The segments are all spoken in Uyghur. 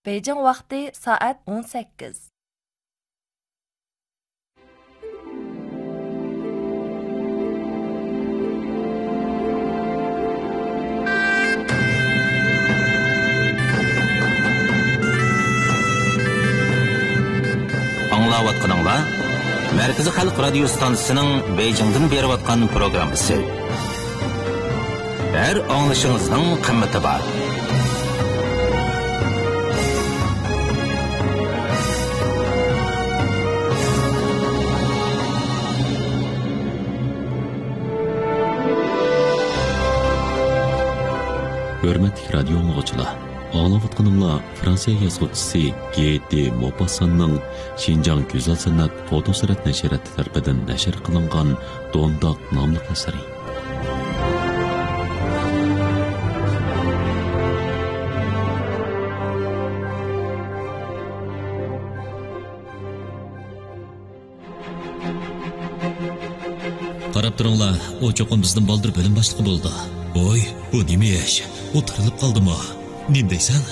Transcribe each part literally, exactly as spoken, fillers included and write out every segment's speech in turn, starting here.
بېيجىڭ ۋاقتى سائەت ئون سەككىز. ئاڭلاۋاتقىنىڭلار مەركىزىي خەلق رادىيو ستانسىسىنىڭ بېيجىڭدىن بېرىۋاتقان پروگراممىسى. ھەر ئاڭلىشىڭىزنىڭ قىممىتى بار. ھۆرمەتلىك رادىيو ئاڭلىغۇچىلار، ئاڭلاۋاتقىنىڭلار فرانسىيە يازغۇچىسى گې دې موپاسساننىڭ شىنجاڭ گۈزەل سەنئەت فوتوسۈرەت نەشرىياتى تەرىپىدىن نەشر قىلىنغان دونداق ناملىق ئەسىرى. قاراپ تۇرۇڭلار، ئۇ چوقۇم بىزدىن بالدۇر بۆلۈم باشلىقى بولىدۇ. ۋوي، بۇ نېمە ئىش؟ ئۇ تىرىلىپ قالدىمۇ؟ نېمە دەيسەن؟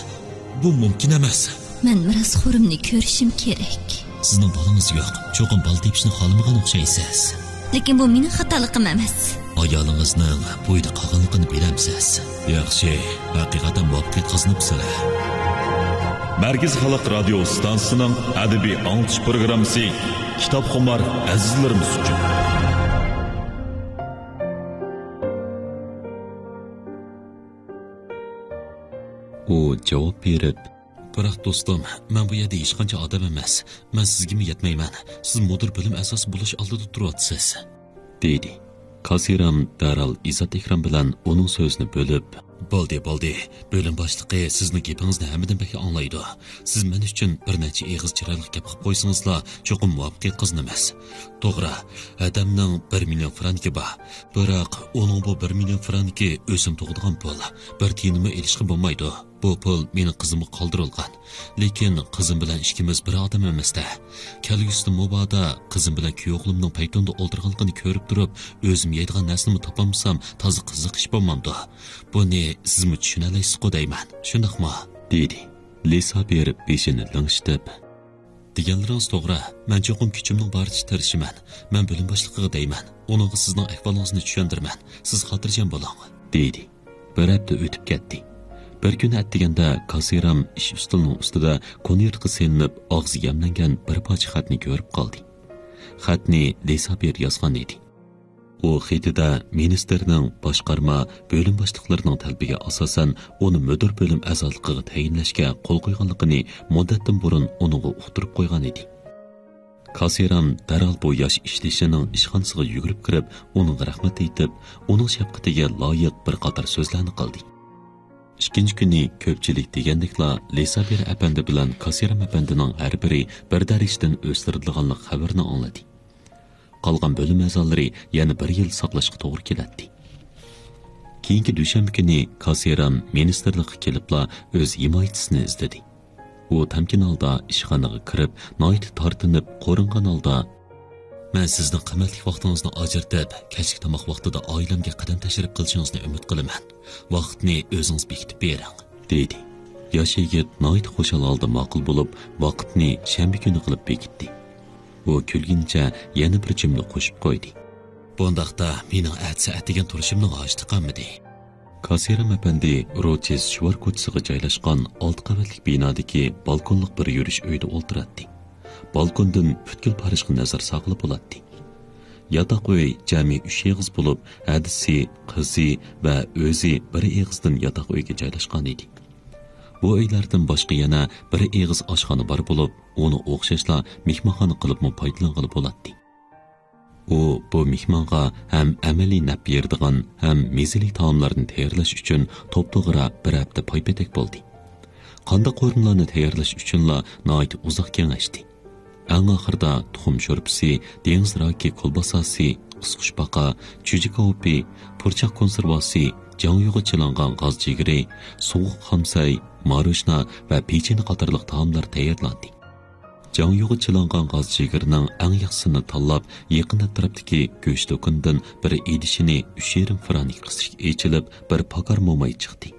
بۇ مۇمكىن ئەمەس. مەن مىراسخورۇمنى كۆرۈشۈم كېرەك. سىزنىڭ بالىڭىز يوق. چوقۇم بالا تېپىشنى خالىمىغان ئوخشايسىز. لېكىن بۇ مېنىڭ خاتالىقىم ئەمەس. ئايالىڭىزنىڭ بۇ ئۆيدە قالغانلىقىنى بىلەمسىز؟ ياخشى، ھەقىقەتەن مۇۋەپپەقىيەت قازىنىپسىلەر. مەركىزىي خەلق رادىيو ئىستانسىسىنىڭ ئەدەبىي ئاڭلىتىش پروگراممىسى كىتابخۇمار ئەزىزلىرىمىز ئۈچۈن. ئۇ جاۋاب بېرىپ، بىراق، دوستۇم، مەن بۇ يەردە ھېچقانچە ئادەم ئەمەس. مەن سىزگىمۇ يەتمەيمەن. سىز مۇدىر بۆلۈم ئەزاسى بولۇش ئالدىدا تۇرۇۋاتىسىز، دېدى. كاسىرام دەرھال ئىززەت ئىكرام بىلەن ئۇنىڭ سۆزىنى بۆلۈپ، بولدى، بولدى. بۆلۈم باشلىقى سىزنىڭ گېپىڭىزنى ھەممىدىن بەك ئاڭلايدۇ. سىز مەن ئۈچۈن بىر نەچچە ئېغىز چىرايلىق گەپ قىلىپ قويسىڭىزلا، چوقۇم مۇۋەپپەقىيەت قازىنىمىز. توغرا، ھەدەمنىڭ بىر مىليون فرانكى بار. بىراق، ئۇنىڭ بۇ بىر مىليون فرانكى ئۆسۈم تۇغىدىغان پۇل. بىر تىيىنمۇ ئېلىشقا بولمايدۇ. بۇ پۇل مېنىڭ قىزىمغا قالدۇرۇلغان. لېكىن قىزىم بىلەن ئىككىمىز بىر ئادەم ئەمەس-دە. كەلگۈسىدە مۇبادا قىزىم بىلەن كۈيئوغلۇمنىڭ پەيتۇندا ئولتۇرغانلىقىنى كۆرۈپ تۇرۇپ، ئۆزۈم يەيدىغان نەرسىنىمۇ تاپالمىسام، تازا قىزىق ئىش بولمامدۇ؟ بۇنى سىزمۇ چۈشىنەلەيسىزغۇ دەيمەن. شۇنداقمۇ؟ دېدى. لىسابىر بېشىنى لىڭشىتىپ، دېگەنلىرىڭىز توغرا. مەن چوقۇم كۈچۈمنىڭ بارىچە تىرىشىمەن. مەن بۆلۈم باشلىقىغا دەيمەن. ئۇنىڭغا سىزنىڭ ئەھۋالىڭىزنى چۈشەندۈرىمەن. سىز خاتىرجەم بولۇڭ، دېدى. بىر ھەپتە ئۆتۈپ كەتتى. بىر كۈنى ئەتىگەندە كاسىرام ئىش ئۈستىلىنىڭ ئۈستىدە كونۋېرتقا سېلىنىپ، ئاغزى يەملەنگەن بىر پارچە خەتنى كۆرۈپ قالدى. خەتنى لىسابىر يازغان ئىدى. ئۇ خېتىدە مىنىستىرنىڭ باشقارما، بۆلۈم باشلىقلىرىنىڭ تەلىپىگە ئاساسەن، ئۇنى مۇدىر بۆلۈم ئەزالىقىغا تەيىنلەشكە قول قويغانلىقىنى مۇددەتتىن بۇرۇن ئۇنىڭغا ئۇقتۇرۇپ قويغان ئىدى. كاسىرام دەرھال بۇ ياش ئىشدىشىنىڭ ئىشخانىسىغا يۈگۈرۈپ كىرىپ، ئۇنىڭغا رەھمەت ئېيتىپ، ئۇنىڭ شەپقىتىگە لايىق بىر قاتار سۆزلەرنى قىلدى. ئىككىنچى كۈنى كۆپچىلىك دېگەندەكلا لىسابىر ئەپەندى بىلەن كاسىرام ئەپەندىنىڭ ھەر بىرى بىر دەرىجىدىن ئۆستۈرۈلىدىغانلىق خەۋىرىنى ئاڭلىدى. قالغان بۆلۈم ئەزالىرى يەنە بىر يىل ساقلاشقا توغرا كېلەتتى. كېيىنكى دۈشەنبە كۈنى كاسىرام مىنىستىرلىققا كېلىپلا ئۆز ھىمايىچىسىنى ئىزدىدى. ئۇ تەمكىن ھالدا ئىشخانىغا كىرىپ، ناھايىتى تارتىنىپ، قورۇنغان ھالدا، مەن سىزنىڭ قىممەتلىك ۋاقتىڭىزنى ئاجرىتىپ، كەچلىك تاماق ۋاقتىدا ئائىلەمگە قەدەم تەشرىپ قىلىشىڭىزنى ئۈمىد قىلىمەن. ۋاقىتنى ئۆزىڭىز بېكىتىپ بېرىڭ، دېدى. ياش يىگىت ناھايىتى خۇشال ھالدا ماقۇل بولۇپ، ۋاقىتنى شەنبە كۈنى قىلىپ بېكىتتى. ئۇ كۈلگىنىچە يەنە بىر جۈملە قوشۇپ قويدى. بۇنداقتا مېنىڭ ئەتىسى ئەتىگەن تۇرۇشۇمنىڭ ھاجىتى قالمىدى. كاسىرام ئەپەندى روچېس شۋار كوچىسىغا جايلاشقان ئالتە قەۋەتلىك بىنادىكى بالكونلۇق بىر يۈرۈش ئۆيدە ئولتۇراتتى. بالكوندىن پۈتكۈل پارىژغا نەزەر سالغىلى بولاتتى. ياتاق ئۆي جەمئىي ئۈچ ئېغىز بولۇپ، ھەدىسى، قىزى ۋە ئۆزى بىر ئېغىزدىن ياتاق ئۆيگە جايلاشقان ئىدى. بۇ ئۆيلەردىن باشقا يەنە بىر ئېغىز ئاشخانا بار بولۇپ، ئۇنى ئوخشاشلا مېھمانخانا قىلىپمۇ پايدىلانغىلى بولاتتى. ئۇ بۇ مېھمانغا ھەم ئەمەلىي نەپ بېرىدىغان، ھەم مېزىلىك تائاملارنى تەييارلاش ئۈچۈن توپتوغرا بىر ھەپتە پاي-پېتەك بولدى. قانداق قورۇمىلارنى تەييارلاش ئۈچۈنلا ناھايىتى ئۇزاق كېڭەشتى. ئەڭ ئاخىرىدا تۇخۇم شورپىسى، دېڭىز راكى كولباساسى، قىسقۇچپاقا، چۈجە كاۋىپى، پۇرچاق كونسېرۋاسى، جاڭيۇغا چىلانغان غاز جىگىرى، سوغۇق خامسەي، ماروژنا ۋە پېچىنە قاتارلىق تائاملار تەييارلاندى. جاڭيۇغا چىلانغان غاز جىگىرنىڭ ئەڭ ياخشىسىنى تاللاپ، يېقىن ئەتراپتىكى گۆش دۇكىنىدىن بىر ئىدىشىنى ئۈچ يېرىم فرانك قىسىشقا ئېچىلىپ، بىر پاكار موماي چىقتى.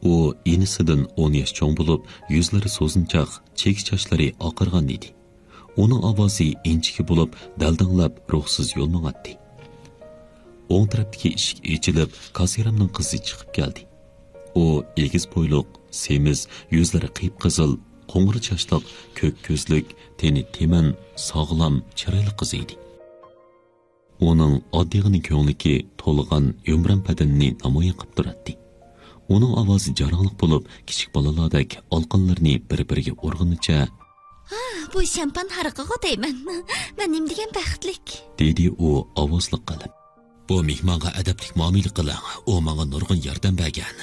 ئۇ ئىنىسىدىن ئون ياش چوڭ بولۇپ، يۈزلىرى سوزۇنچاق، چېكە چاچلىرى ئاقارغان ئىدى. ئۇنىڭ ئاۋازى ئىنچىكە بولۇپ، دەلدەڭلەپ روھسىز يول ماڭاتتى. ئوڭ تەرەپتىكى ئىشىك ئېچىلىپ، كاسىرامنىڭ قىزى چىقىپ كەلدى. ئۇ ئېگىز بويلۇق، سېمىز، يۈزلىرى قىپقىزىل، قوڭۇر چاچلىق، كۆك كۆزلۈك، تېنى تېمەن، ساغلام، چىرايلىق قىز ئىدى. ئۇنىڭ ئاددىيغىنە كۆڭلىكى تولغان يۇمران بەدىنىنى نامايان قىلىپ تۇراتتى. ئۇنىڭ ئاۋازى جاراڭلىق بولۇپ، كىچىك بالىلاردەك ئالىقانلىرىنى بىر-بىرىگە ئۇرغىنىچە، «ھا، بۇ شامپان ھارىقىغۇ دەيمەن. مەن نېمە دېگەن بەختلىك!» دېدى ئۇ ئاۋازلىق قىلىپ. «بۇ مېھمانغا ئەدەپلىك مۇئامىلە قىلىڭ، ئۇ ماڭا نۇرغۇن ياردەم بەرگەن.»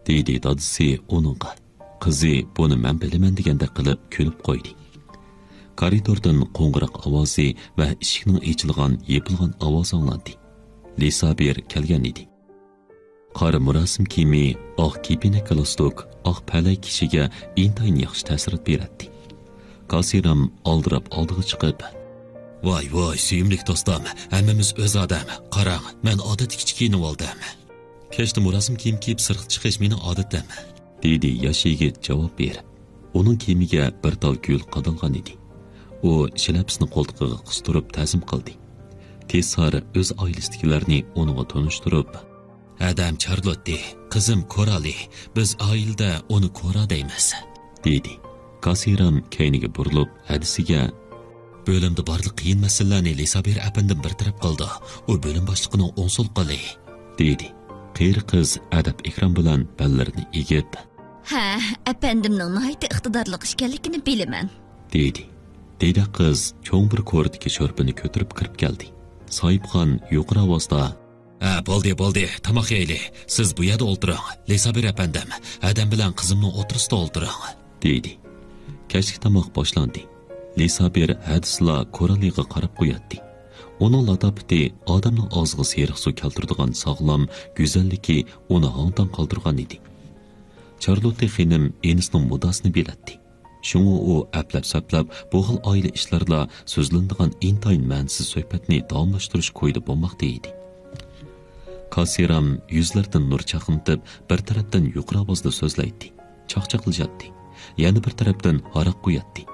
دېدى دادىسى ئۇنىڭغا. قىزى بۇنى مەن بىلىمەن دېگەندەك قىلىپ كۈلۈپ قويدى. كارىدوردىن قوڭغۇراق ئاۋازى ۋە ئىشىكنىڭ ئېچىلغان، يېپىلغان ئاۋازى ئاڭلاندى. لىسابىر كەلگەن ئىدى. قارا مۇراسىم كىيىمى، ئاق كېپىنەك گالستۇك، ئاق پەلەي كىشىگە ئىنتايىن ياخشى تەسىرات بېرەتتى. كاسىرام ئالدىراپ ئالدىغا چىقىپ، «ۋاي، ۋاي، سۆيۈملۈك دوستۇم، ھەممىمىز ئۆز ئادەم. قاراڭ، مەن ئادەتتىكىچە كىيىنىۋالدىم.» «كەچتە مۇراسىم كىيىم كىيىپ سىرتقا چىقىش مېنىڭ ئادىتىم.» دېدى ياش يىگىت جاۋاب بېرىپ. ئۇنىڭ كىيىمىگە بىر تال گۈل قادالغان ئىدى. ئۇ شىلەپىسىنى قولتۇقىغا قىستۇرۇپ تەزىم قىلدى. تېسار ئۆز ئائىلىسىدىكىلەرنى ئۇنىڭغا تونۇشتۇرۇپ، «ھەدەم چارلوتتى، قىزىم كورالى، بىز ئائىلىدە ئۇنى كورا دەيمىز.» دېدى. كاسىرام كەينىگە بۇرۇلۇپ ھەدىسىگە، «بۆلۈمدە بارلىق قىيىن مەسىلىلەرنى لىسابىر ئەپەندىم بىر تەرەپ قىلىدۇ. ئۇ بۆلۈم باشلىقىنىڭ ئوڭ سول قولى.» دېدى. قېرى قىز ئەدەپ-ئېھتىرام بىلەن بەللىرىنى ئېگىپ، «ھە، ئەپەندىمنىڭ ناھايىتى ئىقتىدارلىق ئىكەنلىكىنى بىلىمەن.» دېدى. دېدە قىز چوڭ بىر كورىدىكى شورپىنى كۆتۈرۈپ كىرىپ كەلدى. ساھىبخان يۇقىرى ئاۋازدا، «ھە، بولدى، بولدى، تاماق يەيلى. سىز بۇ يەردە ئولتۇرۇڭ. لىسابىر ئەپەندىم، ھەدەم بىلەن قىزىمنىڭ ئوتتۇرىسىدا ئولتۇرۇڭ.» دېدى. كەچلىك تاماق باشلاندى. لىسابىر ھەدىسىلا كورالىغا قاراپ قوياتتى. ئۇنىڭ لاتاپىتى ئادەمنىڭ ئاغزىغا سېرىق سۇ كەلتۈرىدىغان ساغلام، گۈزەللىكى ئۇنى ھاڭ-تاڭ قالدۇرغان ئىدى. چارلوتتى خېنىم ئىنىسىنىڭ مۇددىئاسىنى بىلەتتى. شۇڭا ئۇ ئەپلەپ-سەپلەپ بۇ خىل ئائىلە ئىشلىرىدا سۆزلىنىدىغان ئىنتايىن مەنىسىز سۆھبەتنى داۋاملاشتۇرۇش كويىدا بولماقتا ئىدى. كاسىرام يۈزلىرىدىن نۇر چاقنىتىپ، بىر تەرەپتىن يۇقىرى ئاۋازدا سۆزلەيتتى، چاقچاقلىشاتتى، يەنە بىر تەرەپتىن ھاراق قۇياتتى.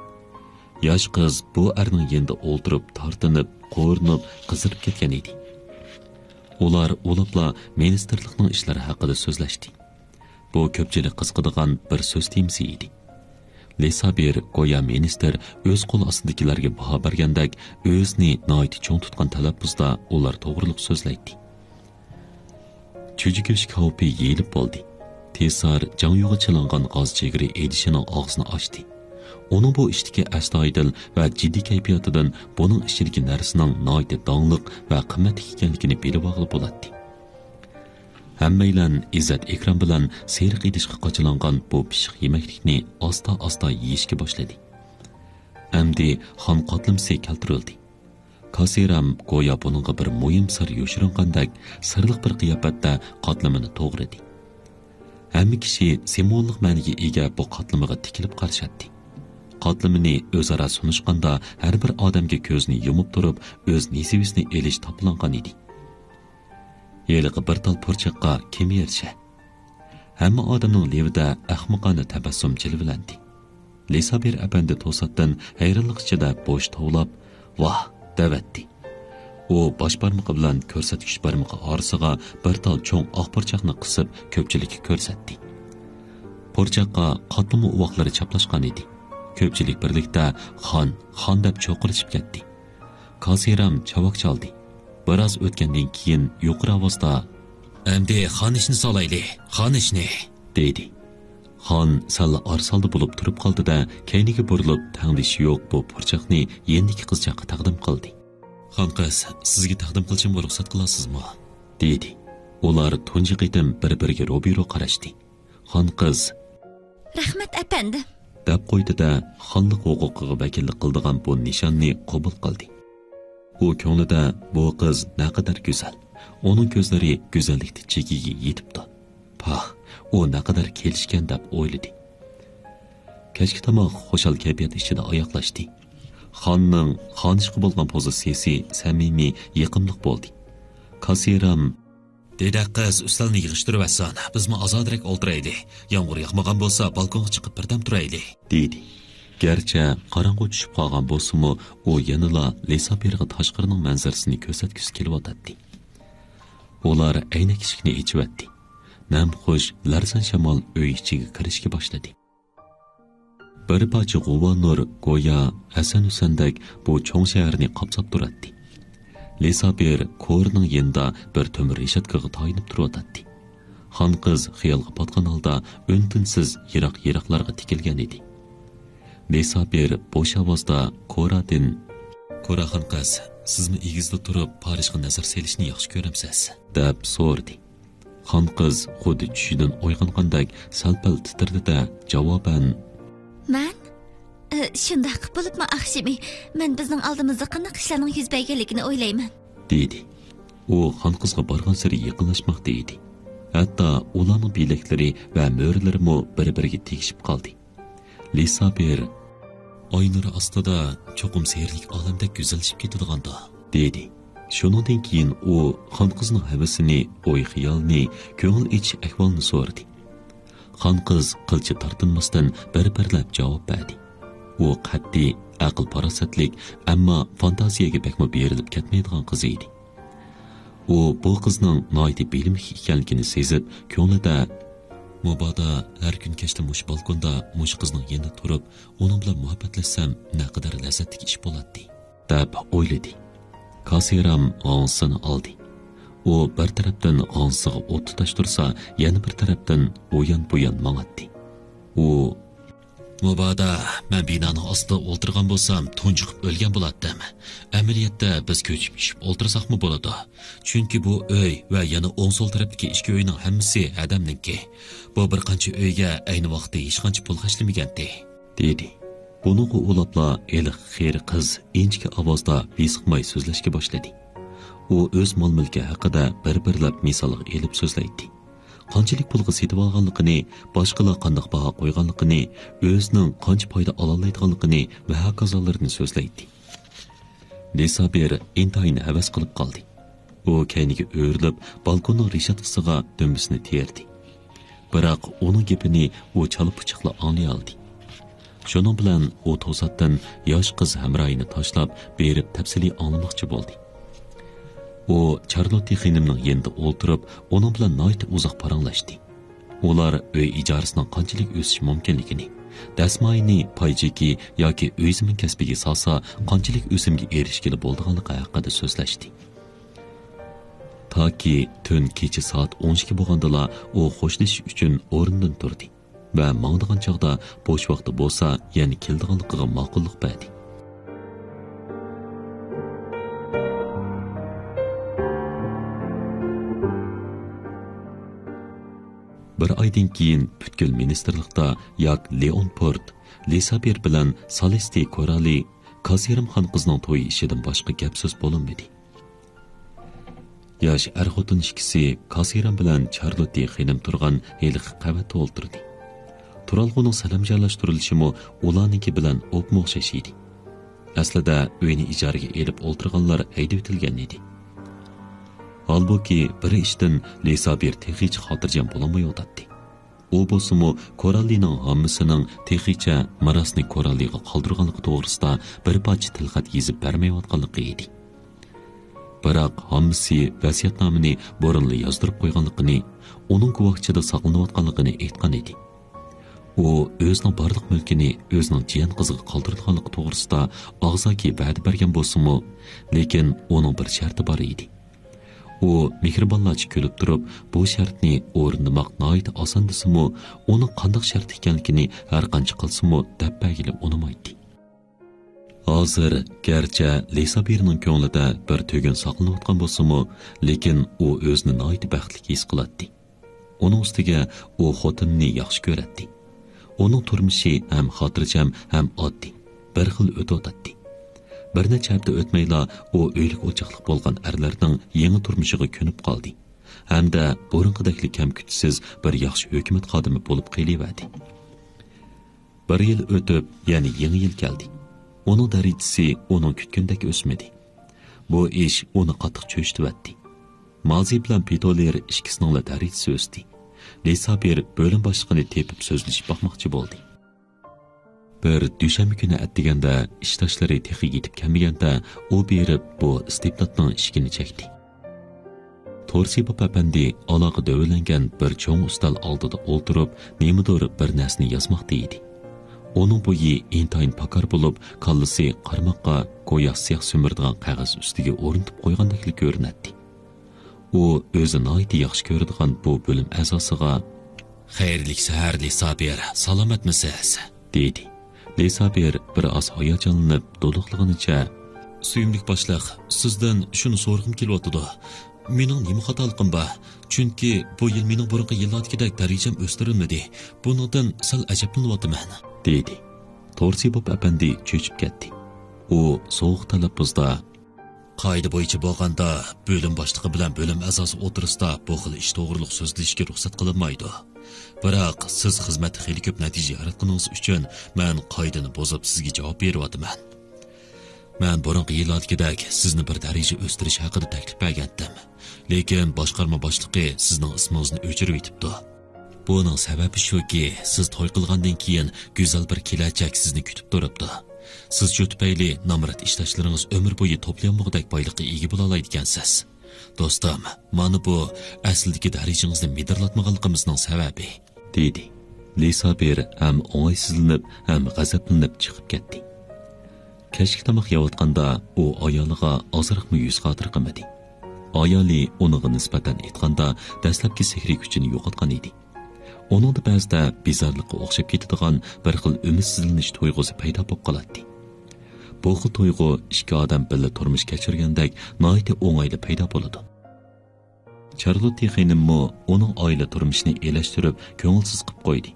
ياش قىز بۇ ئەرنىڭ يېنىدا ئولتۇرۇپ، تارتىنىپ، قورۇنۇپ، قىزىرىپ كەتكەن ئىدى. ئۇلار ئۇلاپلا مىنىستىرلىقنىڭ ئىشلىرى ھەققىدە سۆزلەشتى. بۇ كۆپچىلىك قىزىقىدىغان بىر سۆز تېمىسى ئىدى. لىسابىر گويا مىنىستىر ئۆز قول ئاستىدىكىلەرگە باھا بەرگەندەك، ئۆزىنى ناھايىتى چوڭ تۇتقان تەلەپپۇزدا ئۇلار توغرۇلۇق سۆزلەيتتى. چۈجە گۆش كاۋىپى يېيىلىپ بولدى. تېسار جاڭيۇغا چىلانغان غاز چېگرى ئىدىشىنىڭ ئاغزىنى ئاچتى. ئۇنىڭ بۇ ئىشتىكى ئەستايىدىل ۋە جىددىي كەيپىياتىدىن بۇنىڭ ئىچىدىكى نەرسىنىڭ ناھايىتى داڭلىق ۋە قىممەتلىك ئىكەنلىكىنى بىلىۋالغىلى بولاتتى. ھەممەيلەن ئىززەت-ئىكرام بىلەن سېرىق ئىدىشقا قاچىلانغان بۇ پىششىق يېمەكلىكنى ئاستا-ئاستا يېيىشكە باشلىدى. ئەمدى خان قاتلىمىسى كەلتۈرۈلدى. كاسىرام گويا بۇنىڭغا بىر مۇھىم سىر يوشۇرۇنغاندەك سىرلىق بىر قىياپەتتە قاتلىمىنى توغرىدى. ھەممە كىشى سىمۋوللۇق مەنىگە ئىگە بۇ قاتلىمىغا تىكىلىپ قارىشاتتى. قاتلىمىنى ئۆزئارا سۇنۇشقاندا ھەر بىر ئادەمگە كۆزىنى يۇمۇپ تۇرۇپ ئۆز نېسىۋىسىنى ئېلىش تاپىلانغان ئىدى. ھېلىقى بىر تال پۇرچاققا كىم ئېرىشە؟ ھەممە ئادەمنىڭ لېۋىدە ئەخمىقانە تەبەسسۇم جىلۋىلەندى. لىسابىر ئەپەندى توساتتىن ھەيرانلىق ئىچىدە بوش توۋلاپ، «ۋاھ!» دەۋەتتى. ئۇ باش بارمىقى بىلەن كۆرسەتكۈچ بارمىقى ئارىسىغا بىر تال چوڭ ئاق پۇرچاقنى قىسىپ، كۆپچىلىككە كۆرسەتتى. پۇرچاققا قاتلىما ئۇۋاقلىرى چاپلاشقان ئىدى. كۆپچىلىك بىرلىكتە، «خان، خان!» دەپ چوقۇرۇشۇپ كەتتى. كاسىرام چاۋاك چالدى. بىراز ئۆتكەندىن كېيىن يۇقىرى ئاۋازدا، «ئەمدى خان ئىشنى سالايلى، خان ئىشنى!» دېدى. خان سەللا ئارسالدا بولۇپ تۇرۇپ قالدى-دە، كەينىگە بۇرۇلۇپ، تەڭدىشى يوق بۇ پۇرچاقنى يېنىدىكى قىزچاققا تەقدىم قىلدى. «خان قىز، سىزگە تەقدىم قىلىشىمغا رۇخسەت قىلارسىزمۇ؟» دېدى. ئۇلار تۇنجى قېتىم بىر-بىرىگە روبىرو قاراشتى. خان قىز، «رەھمەت، ئەپەندىم!» دەپ قويدى-دە، خانلىق ھوقۇقىغا ۋەكىللىك قىلىدىغان بۇ نىشاننى قوبۇل قىلدى. ئۇ كۆڭلىدە، «بۇ قىز نەقەدەر گۈزەل، ئۇنىڭ كۆزلىرى گۈزەللىكتە چېكىگە يېتىپتۇ. پاھ، ئۇ نەقەدەر كېلىشكەن» دەپ ئويلىدى. كەچكى تاماق خۇشال كەيپىيات ئىچىدە ئاياغلاشتى. خاننىڭ خانىشقا بولغان پوزىتسىيىسى سەمىمىي، يېقىملىق بولدى. كاسىرام، دېدەك قىز ئۈستەلنى يىغىشتۇرۇۋەتسۇن، بىزمۇ ئازادىراك ئولتۇرايلى. يامغۇر ياغمىغان بولسا، بالكونغا چىقىپ بىردەم تۇرايلى، دېدى. گەرچە قاراڭغۇ چۈشۈپ قالغان بولسىمۇ، ئۇ يەنىلا لىسابىرغا تاشقىرىنىڭ مەنزىرىسىنى كۆرسەتكۈسى كېلىۋاتاتتى. ئۇلار ئەينەك ئىشىكنى ئېچىۋەتتى. نەمخۇش، لەرزان شامال ئۆي ئىچىگە كىرىشكە باشلىدى. بىر پارچە غۇۋا نۇر گويا ھەسەن-ھۈسەندەك بۇ چوڭ شەھەرنى قاپساپ تۇراتتى. لىسابىر كورىنىڭ يېنىدا بىر تۆمۈر رېشاتكىغا تايىنىپ تۇرۇۋاتاتتى. خان قىز خىيالغا پاتقان ھالدا ئۈن-تىنسىز يىراق-يىراقلارغا تىكىلگەن ئىدى. لىسابىر بوش ئاۋازدا كورادىن، «كوراخان قىز، سىزمۇ ئېگىزدە تۇرۇپ پارىژغا نەزەر سېلىشنى ياخشى كۆرەمسىز؟» دەپ سورىدى. خان قىز خۇددى چۈشىدىن ئويغانغاندەك سەل-پەل تىترىدى-دە، جاۋابەن، مەن؟ ئى، شۇنداق، بولۇپمۇ ئاخشىمى. مەن بىزنىڭ ئالدىمىزدا قانداق ئىشلارنىڭ يۈز بەرگەنلىكىنى ئويلايمەن، دېدى. ئۇ خان قىزغا بارغانسېرى يېقىنلاشماقتا ئىدى. ھەتتا ئۇلارنىڭ بىلەكلىرى ۋە مۈرىلىرىمۇ بىر-بىرىگە تېگىشىپ قالدى. لىسابىر، ئاي نۇرى ئاستىدا چوقۇم سېھىرلىك ئالەمدەك گۈزەللىشىپ كېتىدىغاندا، دېدى. شۇنىڭدىن كېيىن ئۇ خان قىزنىڭ ھەۋىسىنى، ئوي-خىيالىنى، كۆڭۈل ئېچىش ئەھۋالىنى سورىدى. خان قىز قىلچە تارتىنماستىن بىر-بىرلەپ جاۋاب بەردى. ئۇ قەتئىي، ئەقىل-پاراسەتلىك، ئەمما فانتازىيەگە بەكمۇ بېرىلىپ كەتمەيدىغان قىز ئىدى. ئۇ بۇ قىزنىڭ ناھايىتى بىلىملىك ئىكەنلىكىنى سېزىپ، كۆڭلىدە، مۇبادا ھەر كۈن كەچتە مۇشۇ بالكوندا مۇشۇ قىزنىڭ يېنىدا تۇرۇپ، ئۇنىڭ بىلەن مۇھەببەتلەشسەم، نەقەدەر لەززەتلىك ئىش بولاتتى، دەپ ئويلىدى. كاسىرام غاڭزىسىنى ئالدى. ئۇ بىر تەرەپتىن غاڭزىسىغا ئوت تۇتاشتۇرسا، يەنە بىر تەرەپتىن ئۇيان-بۇيان ماڭاتتى. ئۇ، مۇبادا مەن بىنانىڭ ئاستىدا ئولتۇرغان بولسام، تۇنجۇقۇپ ئۆلگەن بولاتتىم. ئەمەلىيەتتە بىز كۆچۈپ چۈشۈپ ئولتۇرساقمۇ بولىدۇ. چۈنكى بۇ ئۆي ۋە يەنە ئوڭ سول تەرەپتىكى ئىككى ئۆينىڭ ھەممىسى ھەدەمنىڭكى. بۇ بىر قانچە ئۆيگە ئەينى ۋاقىتتا ھېچقانچە پۇل خەجلىمىگەنتى، دېدى. بۇنىڭغا ئۇلاپلا ھېلىقى قېرى قىز ئىنچىكە ئاۋازدا ۋىسقىماي سۆزلەشكە باشلىدى. ئۇ ئۆز مال-مۈلكى ھەققىدە بىر-بىرلەپ مىسالغا ئېلىپ سۆزلەيتتى. قانچىلىك پۇلغا سېتىۋالغانلىقىنى، باشقىلار قانداق باھا قويغانلىقىنى، ئۆزىنىڭ قانچە پايدا ئالالايدىغانلىقىنى ۋە ھاكازالىرىنى سۆزلەيتتى. لىسابىر ئىنتايىن ھەۋەس قىلىپ قالدى. ئۇ كەينىگە ئۆرۈلۈپ، بالكوننىڭ رېشاتكىسىغا دۈمبىسىنى تىرىدى. بىراق ئۇنىڭ گېپىنى ئۇ چالا-پۇچاقلا ئاڭلىيالىدى. شۇنىڭ بىلەن ئۇ توساتتىن ياش قىز ھەمراھىنى تاشلاپ بېرىپ تەپسىلىي ئاڭلىماقچى بولدى. ئۇ چارلوتتى خېنىمنىڭ يېنىدا ئولتۇرۇپ، ئۇنىڭ بىلەن ناھايىتى ئۇزاق پاراڭلاشتى. ئۇلار ئۆي ئىجارىسىنىڭ قانچىلىك ئۆسۈشى مۇمكىنلىكىنى، دەسمايىنى پاي چېكى ياكى ئۆي زېمىن كەسپىگە سالسا قانچىلىك ئۆسۈمگە ئېرىشكىلى بولىدىغانلىقى ھەققىدە سۆزلەشتى. تاكى تۈن كېچە سائەت ئون ئىككى بولغاندىلا ئۇ خوشلىشىش ئۈچۈن ئورنىدىن تۇردى ۋە ماڭىدىغان چاغدا بوش ۋاقتى بولسا يەنە كېلىدىغانلىقىغا ماقۇللۇق بەردى. بىر ئايدىن كېيىن پۈتكۈل مىنىستىرلىقتا ياك لېئونپورت، لىسابىر بىلەن سالېستى كورالى، كاسىرىم خان قىزنىڭ تويى ئىشىدىن باشقا گەپ-سۆز بولۇنمىدى. ياش ئەر-خوتۇن ئىككىسى كاسىرام بىلەن چارلوتتى خېنىم تۇرغان ھېلىقى قەۋەتتە ئولتۇردى. تۇرالغۇنىڭ سەلەمجانلاشتۇرۇلۇشىمۇ ئۇلارنىڭكى بىلەن ئوپمۇ ئوخشاش ئىدى. ئەسلىدە ئۆينى ئىجارىگە ئېلىپ ئولتۇرغانلار ھەيدىۋېتىلگەن ئىدى. ھالبۇكى، بىر ئىشتىن لىسابىر تېخىچە خاتىرجەم بولالمايۋاتاتتى. ئۇ بولسىمۇ كوراللىنىڭ ھاممىسىنىڭ تېخىچە مىراسنى كوراللىغا قالدۇرغانلىقى توغرىسىدا بىر پارچە تىلخەت يېزىپ بەرمەيۋاتقانلىقى ئىدى. بىراق ھاممىسى ۋەسىيەتنامىنى بۇرۇنلا يازدۇرۇپ قويغانلىقىنى، ئۇنىڭ گۇۋاھچىدا ساقلىنىۋاتقانلىقىنى ئېيتقان ئىدى. ئۇ ئۆزىنىڭ بارلىق مۈلكىنى ئۆزىنىڭ جىيەن قىزىغا قالدۇرىدىغانلىقى توغرىسىدا ئاغزاكى ۋەدە بەرگەن بولسىمۇ، لېكىن ئۇنىڭ بىر شەرتى بار ئىدى. ئۇ مېھرىبانلارچە كۈلۈپ تۇرۇپ، بۇ شەرتنى ئورۇندىماق ناھايىتى ئاسان دېسىمۇ، ئۇنىڭ قانداق شەرت ئىكەنلىكىنى ھەر قانچە قىلسىمۇ دەپ بەرگىلى ئۇنىمايتتى. ھازىر گەرچە لىسابىرنىڭ كۆڭلىدە بىر تۈگۈن ساقلىنىۋاتقان بولسىمۇ، لېكىن ئۇ ئۆزىنى ناھايىتى بەختلىك ھېس قىلاتتى. ئۇنىڭ ئۈستىگە ئۇ خوتۇنىنى ياخشى كۆرەتتى. ئۇنىڭ تۇرمۇشى ھەم خاتىرجەم، ھەم ئاددىي، بىر خىل ئۆتۈۋاتاتتى. بىر نەچچە ھەپتە ئۆتمەيلا ئۇ ئۆيلۈك ئوچاقلىق بولغان ئەرلەرنىڭ يېڭى تۇرمۇشىغا كۆنۈپ قالدى ھەمدە بۇرۇنقىدەكلا كەم-كۈتىسىز بىر ياخشى ھۆكۈمەت خادىمى بولۇپ قېلىۋەردى. بىر يىل ئۆتۈپ، يەنە يېڭى يىل كەلدى. ئۇنىڭ دەرىجىسى ئۇنىڭ كۈتكىنىدەك ئۆسمىدى. بۇ ئىش ئۇنى قاتتىق چۆچۈتۈۋەتتى. مازى بىلەن پېتولېر ئىككىسىنىڭلا دەرىجىسى ئۆستى. لىسابىر بۆلۈم باشلىقىنى تېپىپ سۆزلىشىپ باقماقچى بولدى. بىر دۈشەنبە كۈنى ئەتىگەندە ئىشداشلىرى تېخى يېتىپ كەلمىگەندە، ئۇ بېرىپ بۇ ئىستىبداتنىڭ ئىشىكىنى چەكتى. تورسىبوف ئەپەندى ئالاقە دۆۋىلەنگەن بىر چوڭ ئۈستەل ئالدىدا ئولتۇرۇپ، نېمىدۇر بىر نەرسىنى يازماقتا ئىدى. ئۇنىڭ بويى ئىنتايىن پاكار بولۇپ، كاللىسى قارىماققا گويا سىياھ سۈمۈرىدىغان قەغەز ئۈستىگە ئورنىتىپ قويغاندەكلا كۆرۈنەتتى. ئۇ ئۆزى ناھايىتى ياخشى كۆرىدىغان بۇ بۆلۈم ئەزاسىغا، «خەيرلىك سەھەر، لىسابىر، سالامەتمىسىز؟» دېدى. لىسابىر بىر ئاز ھاياجانلىنىپ، دولۇقلىغىنىچە، «سۆيۈملۈك باشلىق، سىزدىن شۇنى سورىغۇم كېلىۋاتىدۇ. مېنىڭ نېمە خاتالىقىم بار؟ چۈنكى بۇ يىل مېنىڭ بۇرۇنقى يىللاردىكىدەك دەرىجەم ئۆستۈرۈلمىدى. بۇنىڭدىن سەل ئەجەبلىنىۋاتىمەن.» دېدى. تورسىبوف ئەپەندى چۆچۈپ كەتتى. ئۇ سوغۇق تەلەپپۇزدا، «قائىدە بويىچە بولغاندا، بۆلۈم باشلىقى بىلەن بۆلۈم ئەزاسى ئوتتۇرىسىدا بۇ خىل ئىش توغرۇلۇق سۆزلىشىشكە رۇخسەت قىلىنمايدۇ. بىراق، سىز خىزمەتتە خېلى كۆپ نەتىجە ياراتقىنىڭىز ئۈچۈن مەن قائىدىنى بۇزۇپ سىزگە جاۋاب بېرىۋاتىمەن. مەن بۇرۇنقى يىللاردىكىدەك سىزنى بىر دەرىجە ئۆستۈرۈش ھەققىدە تەكلىپ بەرگەنتىم. لېكىن باشقارما باشلىقى سىزنىڭ ئىسمىڭىزنى ئۆچۈرۈۋېتىپتۇ. بۇنىڭ سەۋەبى شۇكى، سىز توي قىلغاندىن كېيىن گۈزەل بىر كېلەچەك سىزنى كۈتۈپ تۇرۇپتۇ. سىز شۇ تۈپەيلى نامرات ئىشداشلىرىڭىز ئۆمۈر بويى توپلىيالمىغۇدەك بايلىققا ئىگە بولالايدىكەنسىز. دوستۇم، مانا بۇ ئەسلىدىكى دەرىجىڭىزنى مىدىرلاتمىغانلىقىمىزنىڭ سەۋەبى.» دېدى. لىسابىر ھەم ئوڭايسىزلىنىپ، ھەم غەزەپلىنىپ چىقىپ كەتتى. كەچلىك تاماق يەۋاتقاندا ئۇ ئايالىغا ئازراقمۇ يۈز خاتىرە قىلمىدى. ئايالى ئۇنىڭغا نىسبەتەن ئېيتقاندا دەسلەپكى سېھرىي كۈچىنى يوقاتقان ئىدى. ئۇنىڭدا بەزىدە بىزارلىققا ئوخشاپ كېتىدىغان بىر خىل ئۈمىدسىزلىنىش تۇيغۇسى پەيدا بولۇپ قالاتتى. بۇ خىل تۇيغۇ ئىككى ئادەم بىللە تۇرمۇش كەچۈرگەندەك ناھايىتى ئوڭايلا پەيدا بولىدۇ. چارلوتتى خېنىممۇ ئۇنىڭ ئائىلە تۇرمۇشىنى ئېلەشتۈرۈپ، كۆڭۈلسىز قىپ قويدى.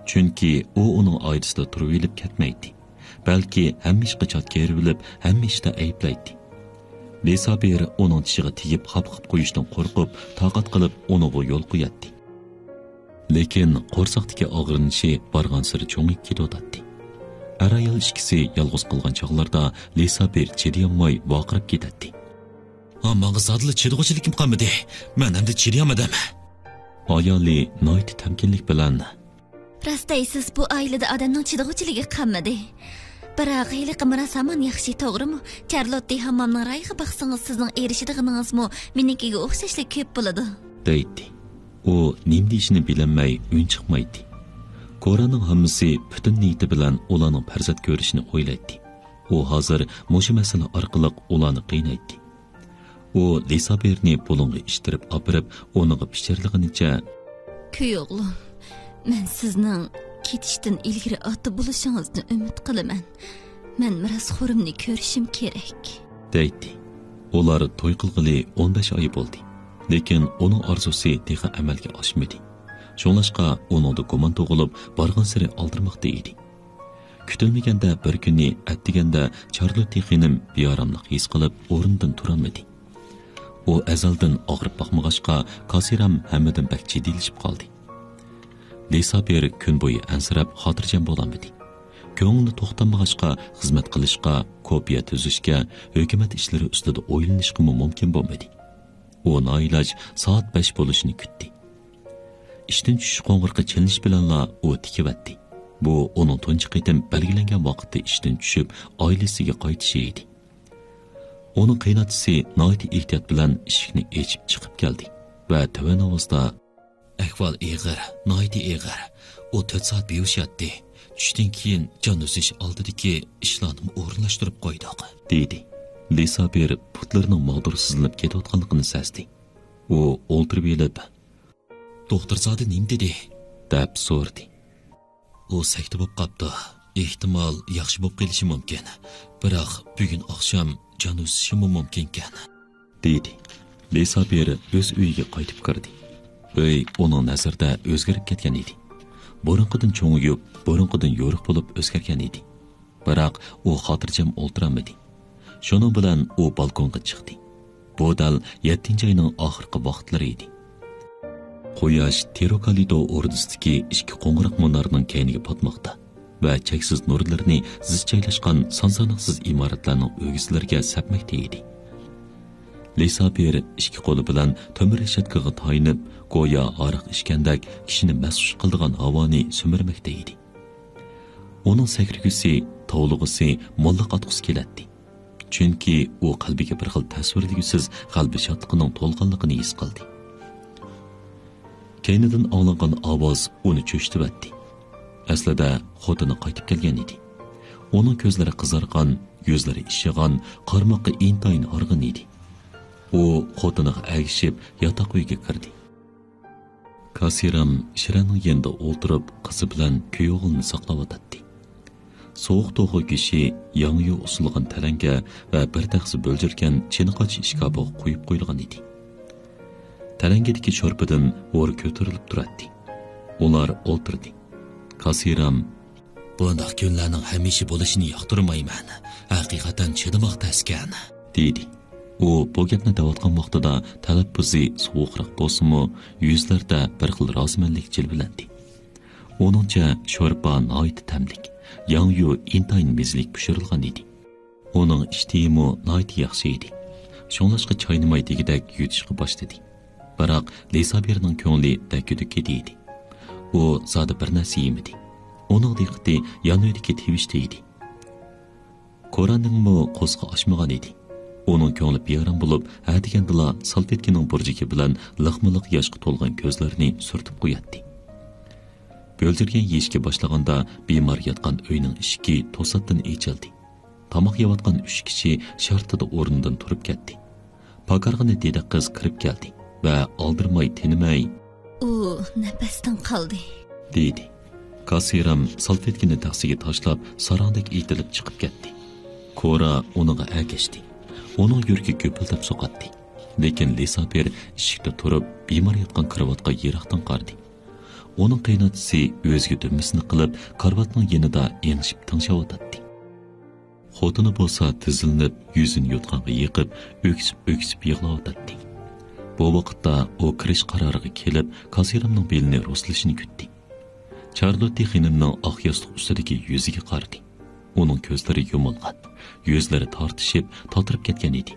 چۈنكى ئۇ ئۇنىڭ ئائىلىسىدە تۇرۇۋېلىپ كەتمەيتتى. بەلكى ھەممە ئىشقا چات كېرىۋېلىپ، ھەممە ئىشتا ئەيىبلەيتتى. لىسابىر ئۇنىڭ چىشىغا تېگىپ، خاپا قىپ قويۇشتىن قورقۇپ، تاقەت قىلىپ، ئۇنىڭغا يول قوياتتى. لېكىن قورساقتىكى ئاغرىنىشى بارغانسېرى چوڭىيىپ كېتىۋاتاتتى. ئەر-ئايال ئىككىسى يالغۇز قالغان چاغلاردا لىسابىر چىدىيالماي ۋارقىراپ كېتەتتى. ھا، ماڭا زادىلا چىدىغۇچىلىكىم قالمىدى. مەن ئەمدى چىدىيالمىدىم. ئايالى ناھايىتى تەمكىنلىك بىلەن، راست دەيسىز، بۇ ئائىلىدە ئادەمنىڭ چىدىغۇچىلىكى قالمىدى. بىراق، ھېلىقى مىراس ھامان ياخشى، توغرىمۇ؟ چارلوتتى ھاممامنىڭ رايىغا باقسىڭىز، سىزنىڭ ئېرىشىدىغىنىڭىزمۇ مېنىڭكىگە ئوخشاشلا كۆپ بولىدۇ، دەيتتى. ئۇ نېمە دېيىشىنى بىلەلمەي ئۈن چىقمايتتى. كورانىڭ ھاممىسى پۈتۈن نىيىتى بىلەن ئۇلارنىڭ پەرزەنت كۆرۈشىنى ئويلايتتى. ئۇ ھازىر مۇشۇ مەسىلە ئارقىلىق ئۇلارنى قىينايتتى. ئۇ لىسابىرنى بۇلۇڭغا ئىتتىرىپ ئاپىرىپ، ئۇنىڭغا پىچىرلىغىنىچە، كۈي ئوغلۇم، مەن سىزنىڭ كېتىشتىن ئىلگىرى ئاتا بولۇشىڭىزنى ئۈمىد قىلىمەن. مەن مىراسخورۇمنى كۆرۈشۈم كېرەك، دەيتتى. ئۇلار توي قىلغىلى ئون بەش ئاي بولدى. لېكىن ئۇنىڭ ئارزۇسى تېخى ئەمەلگە ئاشمىدى. شۇڭلاشقا ئۇنىڭدا گۇمان تۇغۇلۇپ، بارغانسېرى ئالدىرىماقتا ئىدى. كۈتۈلمىگەندە بىر كۈنى ئەتىگەندە چارلوتتى خېنىم بىئاراملىق ھېس قىلىپ، ئورنىدىن تۇرالمىدى. ئۇ ئەزەلدىن ئاغرىپ باقمىغاچقا، كاسسىرام ھەممىدىن بەك جىددىيلىشىپ قالدى. لىسابىر كۈن بويى ئەنسىرەپ، خاتىرجەم بولالمىدى. كۆڭلى توختالمىغاچقا، خىزمەت قىلىشقا، كوپىيە تۈزۈشكە، ھۆكۈمەت ئىشلىرى ئۈستىدە ئويلىنىشقىمۇ مۇمكىن بولمىدى. ئۇ نائىلاج سائەت بەش بولۇشىنى كۈتتى. ئىشتىن چۈشۈش قوڭغۇرىقى چېلىنىش بىلەنلا ئۇ تىكىۋەتتى. بۇ ئۇنىڭ تۇنجى قېتىم بەلگىلەنگەن ۋاقىتتا ئىشتىن چۈشۈپ، ئائىلىسىگە قايتىشى ئىدى. ئۇنىڭ قېيىنئاتىسى ناھايىتى ئېھتىيات بىلەن ئىشىكنى ئېچىپ چىقىپ كەلدى ۋە تۆۋەن ئاۋازدا، ئەھۋال ئېغىر، ناھايىتى ئېغىر. ئۇ تۆت سائەت بىھوش ياتتى. چۈشتىن كېيىن جان ئۈزۈش ئالدىدىكى ئىشلارنىمۇ ئورۇنلاشتۇرۇپ قويدۇق، دېدى. لىسابىر پۇتلىرىنىڭ ماغدۇرسىزلىنىپ كېتىۋاتقانلىقىنى سەزدى. ئۇ ئولتۇرۇۋېلىپ، دوختۇرزادە نېمە دېدى؟ دەپ سورىدى. ئۇ سەكتە بولۇپ قاپتۇ. ئېھتىمال ياخشى بولۇپ قېلىشى مۇمكىن. بىراق بۈگۈن ئاخشام جان ئۈزۈشىمۇ مۇمكىنكەن، دېدى. لىسابىر ئۆز ئۆيىگە قايتىپ كىردى. ئۆي ئۇنىڭ نەزىرىدە ئۆزگىرىپ كەتكەن ئىدى. بۇرۇنقىدىن چوڭىيىپ، بۇرۇنقىدىن يورۇق بولۇپ ئۆزگەرگەن ئىدى. بىراق ئۇ خاتىرجەم ئولتۇرالمىدى. شۇنىڭ بىلەن ئۇ بالكونغا چىقتى. بۇ دەل يەتتىنچى ئاينىڭ ئاخىرقى ۋاقىتلىرى ئىدى. قۇياش تېروكالىدو ئوردىسىدىكى ئىككى قوڭغۇراق مۇنارنىڭ كەينىگە پاتماقتا ۋە چەكسىز نۇرلىرىنى زىچ جايلاشقان سان-ساناقسىز ئىمارەتلەرنىڭ ئۆگزىلىرىگە سەپمەكتە ئىدى. لىسابىر ئىككى قولى بىلەن تۆمۈر رېشاتكىغا تايىنىپ، گويا ھاراق ئىچكەندەك كىشىنى مەستخۇش قىلىدىغان ھاۋانى سۈمۈرمەكتە ئىدى. ئۇنىڭ سەكرىگۈسى، توۋلىغۇسى، موللاق ئاتقۇسى كېلەتتى. چۈنكى ئۇ قەلبىگە بىر خىل تەسۋىرلىگۈسىز غەلىبە شادلىقىنىڭ تولغانلىقىنى ھېس قىلدى. كەينىدىن ئاڭلانغان ئاۋاز ئۇنى چۆچۈتۈۋەتتى. ئەسلىدە خوتۇنى قايتىپ كەلگەن ئىدى. ئۇنىڭ كۆزلىرى قىزارغان، يۈزلىرى ئىششىغان، قارىماققا ئىنتايىن ھارغىن ئىدى. ئۇ خوتۇنىغا ئەگىشىپ ياتاق ئۆيگە كىردى. كاسىرام شىرەنىڭ يېنىدا ئولتۇرۇپ، قىزى بىلەن كۈيئوغلىنى ساقلاۋاتاتتى. سوغۇق توخۇ گۆشى، ياڭيۇ ئۇسسۇلغان تەلەڭگە ۋە بىر تەخسە بۆلجۈرگەن چىنىقاچ ئىشكاپىغا قويۇپ قويۇلغان ئىدى. تەلەڭگىدىكى شورپىدىن ھور كۆتۈرۈلۈپ تۇراتتى. ئۇلار ئولتۇردى. كاسىرام، «بۇنداق كۈنلەرنىڭ ھەمىشە بولۇشىنى ياقتۇرمايمەن. ھەقىقەتەن چىدىماق تەسكەن،» دېدى. ئۇ بۇ گەپنى دەۋاتقان ۋاقتىدا تەلەپپۇزى سوغۇقراق بولسىمۇ، يۈزلىرىدە بىر خىل رازىمەنلىك جىلۋىلەندى. ئۇنىڭچە، شورپا ناھايىتى تەملىك، ياڭيۇ ئىنتايىن مېزىلىك پىشۇرۇلغان ئىدى. ئۇنىڭ ئىشتىيىمۇ ناھايىتى ياخشى ئىدى. شۇڭلاشقا چاينىماي دېگۈدەك يۇتۇشقا باشلىدى. بىراق لىسابىرنىڭ كۆڭلى دەككە-دۈككە ئىدى. ئۇ زادى بىر نەرسە يېمىدى. ئۇنىڭ دىققىتى يان ئۆيدىكى تىۋىشتا ئىدى. كورانىڭمۇ قورسىقى ئاچمىغان ئىدى. ئۇنىڭ كۆڭلى بىئارام بولۇپ، ھە دېگەندىلا سالفېتكىنىڭ بۇرجىكى بىلەن لىقمۇلىق ياشقا تولغان كۆزلىرىنى سۈرتۈپ قوياتتى. بۆلجۈرگەن يېيىشكە باشلىغاندا، بىمار ياتقان ئۆينىڭ ئىشىكى توساتتىن ئېچىلدى. تاماق يەۋاتقان ئۈچ كىشى شارتىدا ئورنىدىن تۇرۇپ كەتتى. پاكارغىنە دېدەك قىز كىرىپ كەلدى ۋە ئالدىرىماي، تىنماي، «ئۇ نەپەستىن قالدى،» دېدى. كاسىرام سالفېتكىنى تەخسىگە تاشلاپ، ساراڭدەك ئېتىلىپ چىقىپ كەتتى. كورا ئۇنىڭغا ئەگەشتى. ئۇنىڭ يۈرىكى گۈپۈلدەپ سوقاتتى. لېكىن لىسابىر ئىشىكتە تۇرۇپ، بىمار ياتقان كارىۋاتقا يىراقتىن قارىدى. ئۇنىڭ قېيىنئاتىسى ئۆزىگە دۈمبىسىنى قىلىپ، كارىۋاتنىڭ يېنىدا ئېڭىشىپ تىڭشاۋاتاتتى. خوتۇنى بولسا تىزلىنىپ، يۈزىنى يوتقانغا يېقىپ، ئۆكسۈپ-ئۆكسۈپ يىغلاۋاتاتتى. بۇ ۋاقىتتا ئۇ كىرىش قارارىغا كېلىپ، كاسىرامنىڭ بېلىنى رۇسلىشىنى كۈتتى. چارلوتتى خېنىمنىڭ ئاق ياستۇق ئۈستىدىكى يۈزىگە قارىدى. ئۇنىڭ كۆزلىرى يۇمۇلغان، يۈزلىرى تارتىشىپ، تاتىرىپ كەتكەن ئىدى.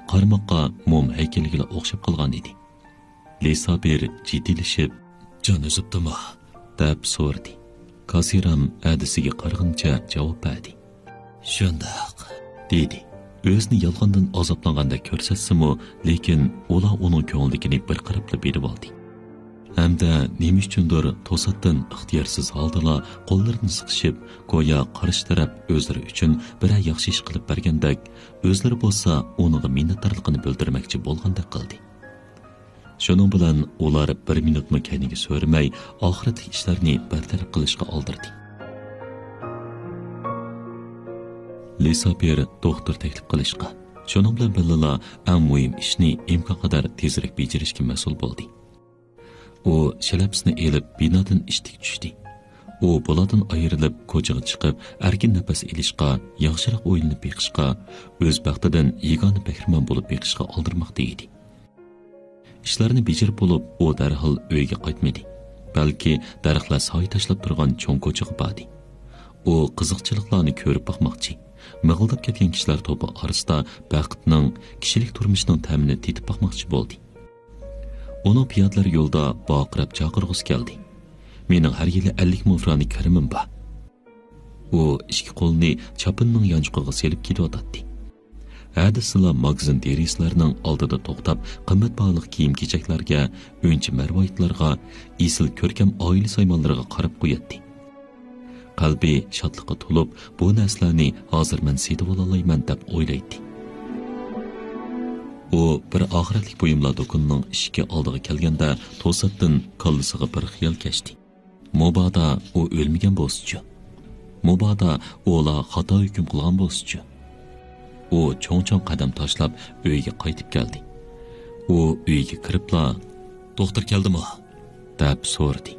قارىماققا موم ھەيكىلىگىلا ئوخشاپ قالغان ئىدى. لىسابىر جىددىيلىشىپ، «جان ئۈزۈپتىمۇ؟» دەپ سورىدى. كاسىرام ھەدىسىگە قارىغىنىچە جاۋاب بەردى. «شۇنداق،» دېدى. ئۆزىنى يالغاندىن ئازابلانغاندەك كۆرسەتسىمۇ، لېكىن ئۇلار ئۇنىڭ كۆڭلىدىكىنى بىر قاراپلا بىلىۋالدى. ھەمدە نېمە ئۈچۈندۇر توساتتىن ئىختىيارسىز ھالدىلا قوللىرىنى سىقىشىپ، گويا قارشى تەرەپ ئۆزلىرى ئۈچۈن بىرەر ياخشى ئىش قىلىپ بەرگەندەك، ئۆزلىرى بولسا ئۇنىڭغا مىننەتدارلىقىنى بىلدۈرمەكچى بولغاندەك قىلدى. شۇنىڭ بىلەن ئۇلار بىر مىنۇتمۇ كەينىگە سۆرىمەي، ئاخىرەتلىك ئىشلارنى بىر تەرەپ قىلىشقا ئالدىردى. لىسابىر دوختۇر تەكلىپ قىلىشقا، شۇنىڭ بىلەن بىللىلا ئەڭ مۇھىم ئىشنى ئىمكانقەدەر تېزرەك بېجىرىشكە مەسئۇل بولدى. ئۇ شىلەپىسىنى ئېلىپ، بىنادىن ئىشتىك چۈشتى. ئۇ بۇلاردىن ئايرىلىپ، كوچىغا چىقىپ، ئەركىن نەپەس ئېلىشقا، ياخشىراق ئويلىنىپ بېقىشقا، ئۆز بەختىدىن يېگانە بەھرىمەن بولۇپ بېقىشقا ئالدىرىماقتا ئىدى. ئىشلارنى بېجىرىپ بولۇپ، ئۇ دەرھال ئۆيگە قايتمىدى، بەلكى دەرەخلەر سايە تاشلاپ تۇرغان چوڭ كوچىغا باردى. ئۇ قىزىقچىلىقلارنى كۆرۈپ باقماقچى، مىغىلداپ كەتكەن كىشىلەر توپى ئارىسىدا بەختنىڭ، كىشىلىك تۇرمۇشنىڭ تەمىنى تېتىپ باقماقچى بولدى. ئۇنىڭ پىيادىلەر يولدا ۋارقىراپ چاقىرغۇسى كەلدى. «مېنىڭ ھەر يىلى ئەللىك مىڭ فرانى كىرىمىم بار.» ئۇ ئىككى قولىنى چاپىنىنىڭ يانچۇقىغا سېلىپ كېتىۋاتاتتى. ھە دېسىلا ماگىزىن دېرىزىلەرنىڭ ئالدىدا توختاپ، قىممەت باھالىق كىيىم-كېچەكلەرگە، ئۈنچە-مەرۋايىتلارغا، ئېسىل كۆركەم ئائىلە سايمانلىرىغا قاراپ قوياتتى. قەلبى شادلىققا تولۇپ، «بۇ نەرسىلەرنى ھازىر مەن سېتىۋالالايمەن» دەپ ئويلايتتى. ئۇ بىر ئاخىرەتلىك بۇيۇملار دۇكىنىنىڭ ئىشىكى ئالدىغا كەلگەندە، توساتتىن كاللىسىغا بىر خىيال كەچتى. مۇبادا ئۇ ئۆلمىگەن بولسىچۇ؟ مۇبادا ئۇلار خاتا ھۆكۈم قىلغان بولسىچۇ؟ ئۇ چوڭ-چوڭ قەدەم تاشلاپ ئۆيگە قايتىپ كەلدى. ئۇ ئۆيگە كىرىپلا، «دوختۇر كەلدىمۇ؟» دەپ سورىدى.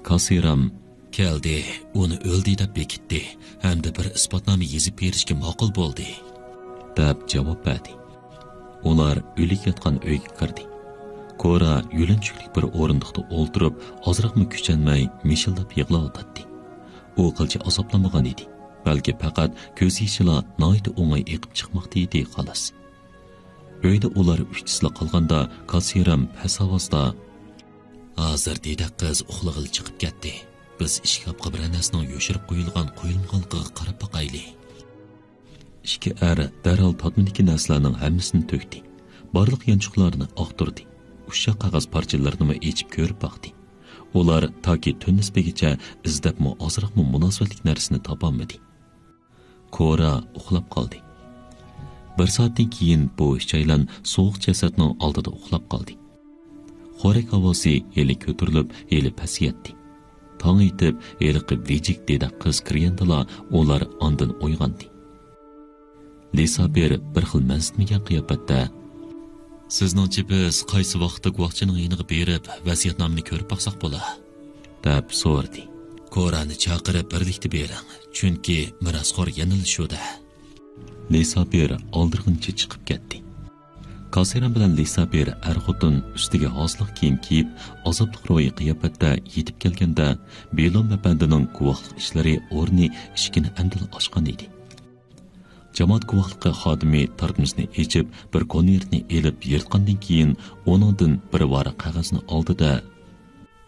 كاسىرام، «كەلدى، ئۇنى ئۆلدى دەپ بېكىتتى ھەمدە بىر ئىسپاتنامە يېزىپ بېرىشكە ماقۇل بولدى» دەپ جاۋاب بەردى. ئۇلار ئۆلۈك ياتقان ئۆيگە كىردى. كورا يۆلەنچۈكلۈك بىر ئورۇندۇقتا ئولتۇرۇپ، ئازراقمۇ كۈچەنمەي مىشىلداپ يىغلاۋاتاتتى. ئۇ قىلچە ئازابلانمىغان ئىدى، بەلكى پەقەت كۆز يېشىلا ناھايىتى ئوڭاي ئېقىپ چىقماقتا ئىدى، خالاس. ئۆيدە ئۇلار ئۈچىسىلا قالغاندا، كاسسىرام پەس ئاۋازدا، «ھازىر دېدەك قىز ئۇخلىغىلى چىقىپ كەتتى. بىز ئىشكاپقا بىرەر نەرسىنىڭ يوشۇرۇپ قويۇلغان قويۇلمىغانلىقىغا قاراپ باقايلى.» ئىككى ئەر دەرھال تارتمىدىكى نەرسىلەرنىڭ ھەممىسىنى تۆكتى. بارلىق يانچۇقلارنى ئاختۇردى. ئۇششاق قەغەز پارچىلىرىنىمۇ ئېچىپ كۆرۈپ باقتى. ئۇلار تاكى تۈن نىسپىگىچە ئىزدەپمۇ ئازراقمۇ مۇناسىۋەتلىك نەرسىنى تاپالمىدى. كورا ئۇخلاپ قالدى. بىر سائەتتىن كېيىن بۇ ئۈچەيلەن سوغۇق جەسەتنىڭ ئالدىدا ئۇخلاپ قالدى. خورەك ئاۋازى ھېلى كۆتۈرۈلۈپ، ھېلى پەسىيەتتى. تاڭ ئېتىپ، ھېلىقى ۋىجىك دېدەك قىز كىرگەندىلا، ئۇلار ئاندىن ئويغاندى. لىسابىر بىر خىل مەنسىتمىگەن قىياپەتتە، «سىزنىڭچە بىز قايسى ۋاقىتتا گۇۋاھچىنىڭ يېنىغا بېرىپ، ۋەسىيەتنامىنى كۆرۈپ باقساق بولا؟» دەپ سورىدى. «كورانى چاقىرىپ بىرلىكتە بېرىڭ، چۈنكى مىراسخور يەنىلا شۇ-دە.» لىسابىر ئالدىرىغىنىچە چىقىپ كەتتى. كاسىران بىلەن لىسابىر ئەر-خوتۇن ئۈستىگە ھازىرلىق كىيىم كىيىپ، ئازابلىق روھىي قىياپەتتە يېتىپ كەلگەندە، بېلوم ئەپەندىنىڭ گۇۋاھلىق ئىشلىرى ئورنى ئىشىكىنى ئەمدىلا ئاچقان ئىدى. جامائەت گۇۋاھلىقى خادىمى تارتمىسىنى ئېچىپ، بىر كونۋېرتنى ئېلىپ يىرتقاندىن كېيىن، ئۇنىڭدىن بىر ۋاراق قەغەزنى ئالدى-دە،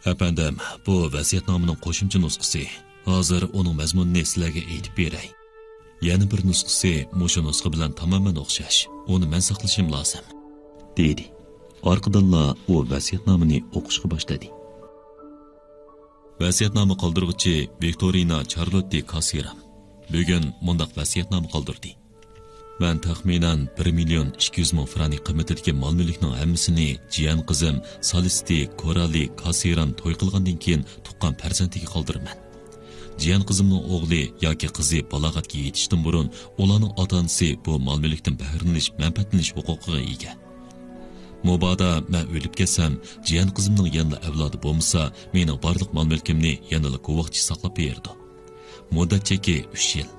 «ئەپەندىم، بۇ ۋەسىيەتنامىنىڭ قوشۇمچە نۇسخىسى. ھازىر ئۇنىڭ مەزمۇنىنى سىلەرگە ئېيتىپ بېرەي. يەنە بىر نۇسخىسى مۇشۇ نۇسخا بىلەن تامامەن ئوخشاش. ئۇنى مەن ساقلىشىم لازىم.» دېدى. ئارقىدىنلا ئۇ ۋەسىيەتنامىنى ئوقۇشقا باشلىدى. ۋەسىيەتنامە قالدۇرغۇچى ۋىكتورىنا چارلوتتى كاسىرام. بۈگۈن مۇنداق ۋەسىيەتنامە قالدۇردى. مەن تەخمىنەن بىر مىليون ئىككى يۈز مىڭ فرانك قىممىتىدىكى مال-مۈلۈكنىڭ ھەممىسىنى جىيەن قىزىم سالىستى كورالى كاسىرام توي قىلغاندىن كېيىن تۇغقان پەرزەنتىگە قالدۇرىمەن. جىيەن قىزىمنىڭ ئوغلى ياكى قىزى بالاغەتكە يېتىشتىن بۇرۇن ئۇلارنىڭ ئاتا-ئانىسى بۇ مال-مۈلۈكتىن بەھرىلىنىش، مەنپەئەتلىنىش ھوقۇقىغا ئىگە. مۇبادا مەن ئۆلۈپ كەتسەم، جىيەن قىزىمنىڭ يەنىلا ئەۋلادى بولمىسا، مېنىڭ بارلىق مال-مۈلكۈمنى يەنىلا گۇۋاھچى ساقلاپ بېرىدۇ. مۇددەت چېكى ئۈچ يىل.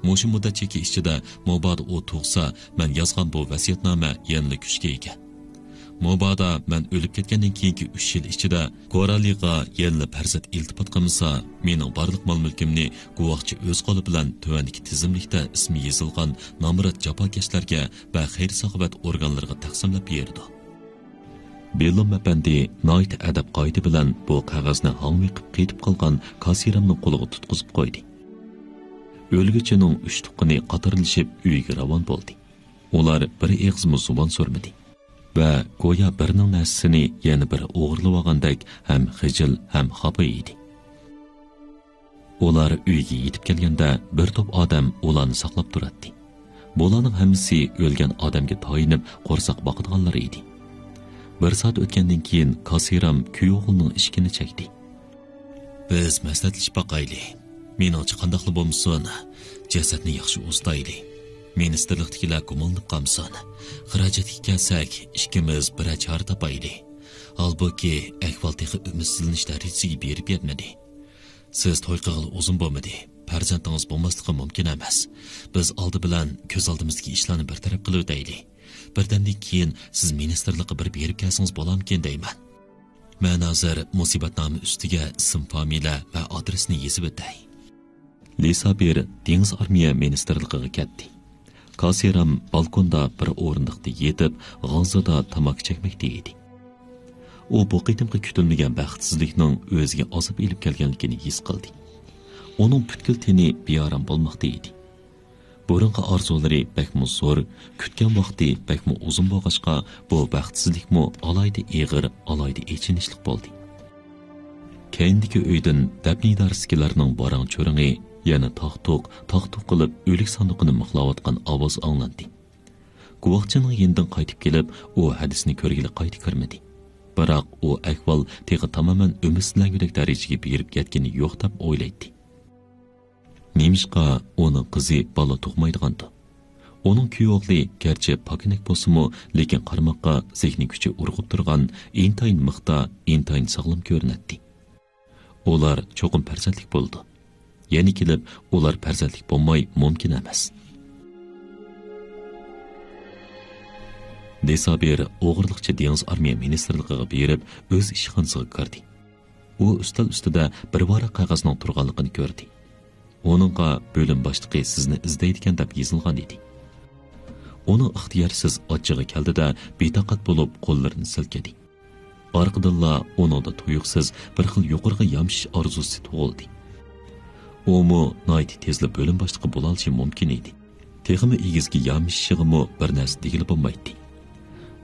مۇشۇ مۇددەت چېكى ئىچىدە مۇبادا ئۇ تۇغسا، مەن يازغان بۇ ۋەسىيەتنامە يەنىلا كۈچكە ئىگە. مۇبادا مەن ئۆلۈپ كەتكەندىن كېيىنكى ئۈچ يىل ئىچىدە كورالىغا يەنىلا پەرزەنت ئىلتىپات قىلمىسا، مېنىڭ بارلىق مال-مۈلكۈمنى گۇۋاھچى ئۆز قولى بىلەن تۆۋەندىكى تىزىملىكتە ئىسمى يېزىلغان نامرات جاپاكەشلەرگە ۋە خەير-ساخاۋەت ئورگانلىرىغا تەقسىملەپ بېرىدۇ. بېلوم ئەپەندى ناھايىتى ئەدەپ-قائىدە بىلەن بۇ قەغەزنى ھاڭۋېقىپ قېتىپ قالغان كاسىرامنىڭ قولىغا تۇتقۇزۇپ قويدى. ئۆلگۈچىنىڭ ئۈچ تۇغقىنى قاتارلىشىپ ئۆيىگە راۋان بولدى. ئۇلار بىر ئېغىزمۇ زۇۋان سۈرمىدى ۋە گويا بىرىنىڭ نەرسىسىنى يەنە بىرى ئوغرىلىۋالغاندەك ھەم خىجىل ھەم خاپا ئىدى. ئۇلار ئۆيگە يېتىپ كەلگەندە، بىر توپ ئادەم ئۇلارنى ساقلاپ تۇراتتى. بۇلارنىڭ ھەممىسى ئۆلگەن ئادەمگە تايىنىپ، قورساق باقىدىغانلار ئىدى. بىر سائەت ئۆتكەندىن كېيىن، كاسىرام كۈيئوغلىنىڭ ئىشىكىنى چەكتى. بىز مەسلىھەتلىشىپ باقايلى. مېنىڭچە، قانداقلا بولمىسۇن، جەسەتنى ياخشى ئۇزىتايلى. مىنىستىرلىقتىكىلەر گۇمانلىنىپ قالمىسۇن. خىراجەتكە كەلسەك، ئىككىمىز بىرەر چارە تاپايلى. ھالبۇكى، ئەھۋال تېخى ئۈمىدسىزلىنىش دەرىجىسىگە بېرىپ يەتمىدى. سىز توي قىلغىلى ئۇزۇن بولمىدى. پەرزەنتىڭىز بولماسلىقى مۇمكىن ئەمەس. بىز ئالدى بىلەن كۆز ئالدىمىزدىكى ئىشلارنى بىر تەرەپ قىلىۋېتەيلى. بىردەمدىن كېيىن سىز مىنىستىرلىققا بىر بېرىپ كەلسىڭىز بولامىكىن دەيمەن. مەن ھازىر مۇسىبەتنامە ئۈستىگە ئىسىم، فامىلە ۋە ئادرېسنى يېزىۋېتەي. لىسابىر دېڭىز ئارمىيە مىنىستىرلىقىغا كەتتى. كاسىرام بالكوندا بىر ئورۇندۇقتا يېتىپ، غازىدا تاماكا چەكمەكتە ئىدى. ئۇ بۇ قېتىمقى كۈتۈلمىگەن بەختسىزلىكنىڭ ئۆزىگە ئازاب ئېلىپ كەلگەنلىكىنى ھېس قىلدى. ئۇنىڭ پۈتكۈل تېنى بىئارام بولماقتا ئىدى. بۇرۇنقى ئارزۇلىرى بەكمۇ زور، كۈتكەن ۋاقتى بەكمۇ ئۇزۇن بولغاچقا، بۇ بەختسىزلىكمۇ ئالاھىدە ئېغىر، ئالاھىدە ئېچىنىشلىق بولدى. كەينىدىكى ئۆيدىن دەپنە ئىدارىسىدىكىلەرنىڭ ۋاراڭ-چۇرۇڭى، يەنە تاق-تۇق، تاق-تۇق قىلىپ ئۆلۈك ساندۇقىنى مىخلاۋاتقان ئاۋاز ئاڭلاندى. گۇۋاھچىنىڭ يېنىدىن قايتىپ كېلىپ، ئۇ ھەدىسىنى كۆرگىلى قايتا كىرمىدى. بىراق ئۇ ئەھۋال تېخى تامامەن ئۈمىدسىزلەنگۈدەك دەرىجىگە بېرىپ يەتكىنى يوق دەپ ئويلايتتى. نېمىشقا ئۇنىڭ قىزى بالا تۇغمايدىغاندۇ؟ ئۇنىڭ كۈيئوغلى گەرچە پاكىنەك بولسىمۇ، لېكىن قارىماققا زېھنىي كۈچى ئۇرغۇپ تۇرغان، ئىنتايىن مىختا، ئىنتايىن ساغلام كۆرۈنەتتى. ئۇلار چوقۇم پەرزەنتلىك بولىدۇ. يەنە كېلىپ، ئۇلار پەرزەنتلىك بولماي مۇمكىن ئەمەس. دېسابىر ئوغرىلىقچە دېڭىز ئارمىيە مىنىستىرلىقىغا بېرىپ، ئۆز ئىشخانىسىغا كىردى. ئۇ ئۈستەل ئۈستىدە بىر ۋاراق قەغەزنىڭ تۇرغانلىقىنى كۆردى. ئۇنىڭغا بۆلۈم باشلىقى سىزنى ئىزدەيدىكەن دەپ يېزىلغان ئىدى. ئۇنىڭ ئىختىيارسىز ئاچچىقى كەلدى-دە، بىتاقەت بولۇپ قوللىرىنى سىلكىدى. ئارقىدىنلا ئۇنىڭدا تۇيۇقسىز بىر خىل يۇقىرىغا يامىشىش ئارزۇسى تۇغۇلدى. ئۇمۇ ناھايىتى تېزلا بۆلۈم باشلىقى بولالىشى مۇمكىن ئىدى. تېخىمۇ ئېگىزگە يامىشىشىغىمۇ بىر نەرسە دېگىلى بولمايتتى.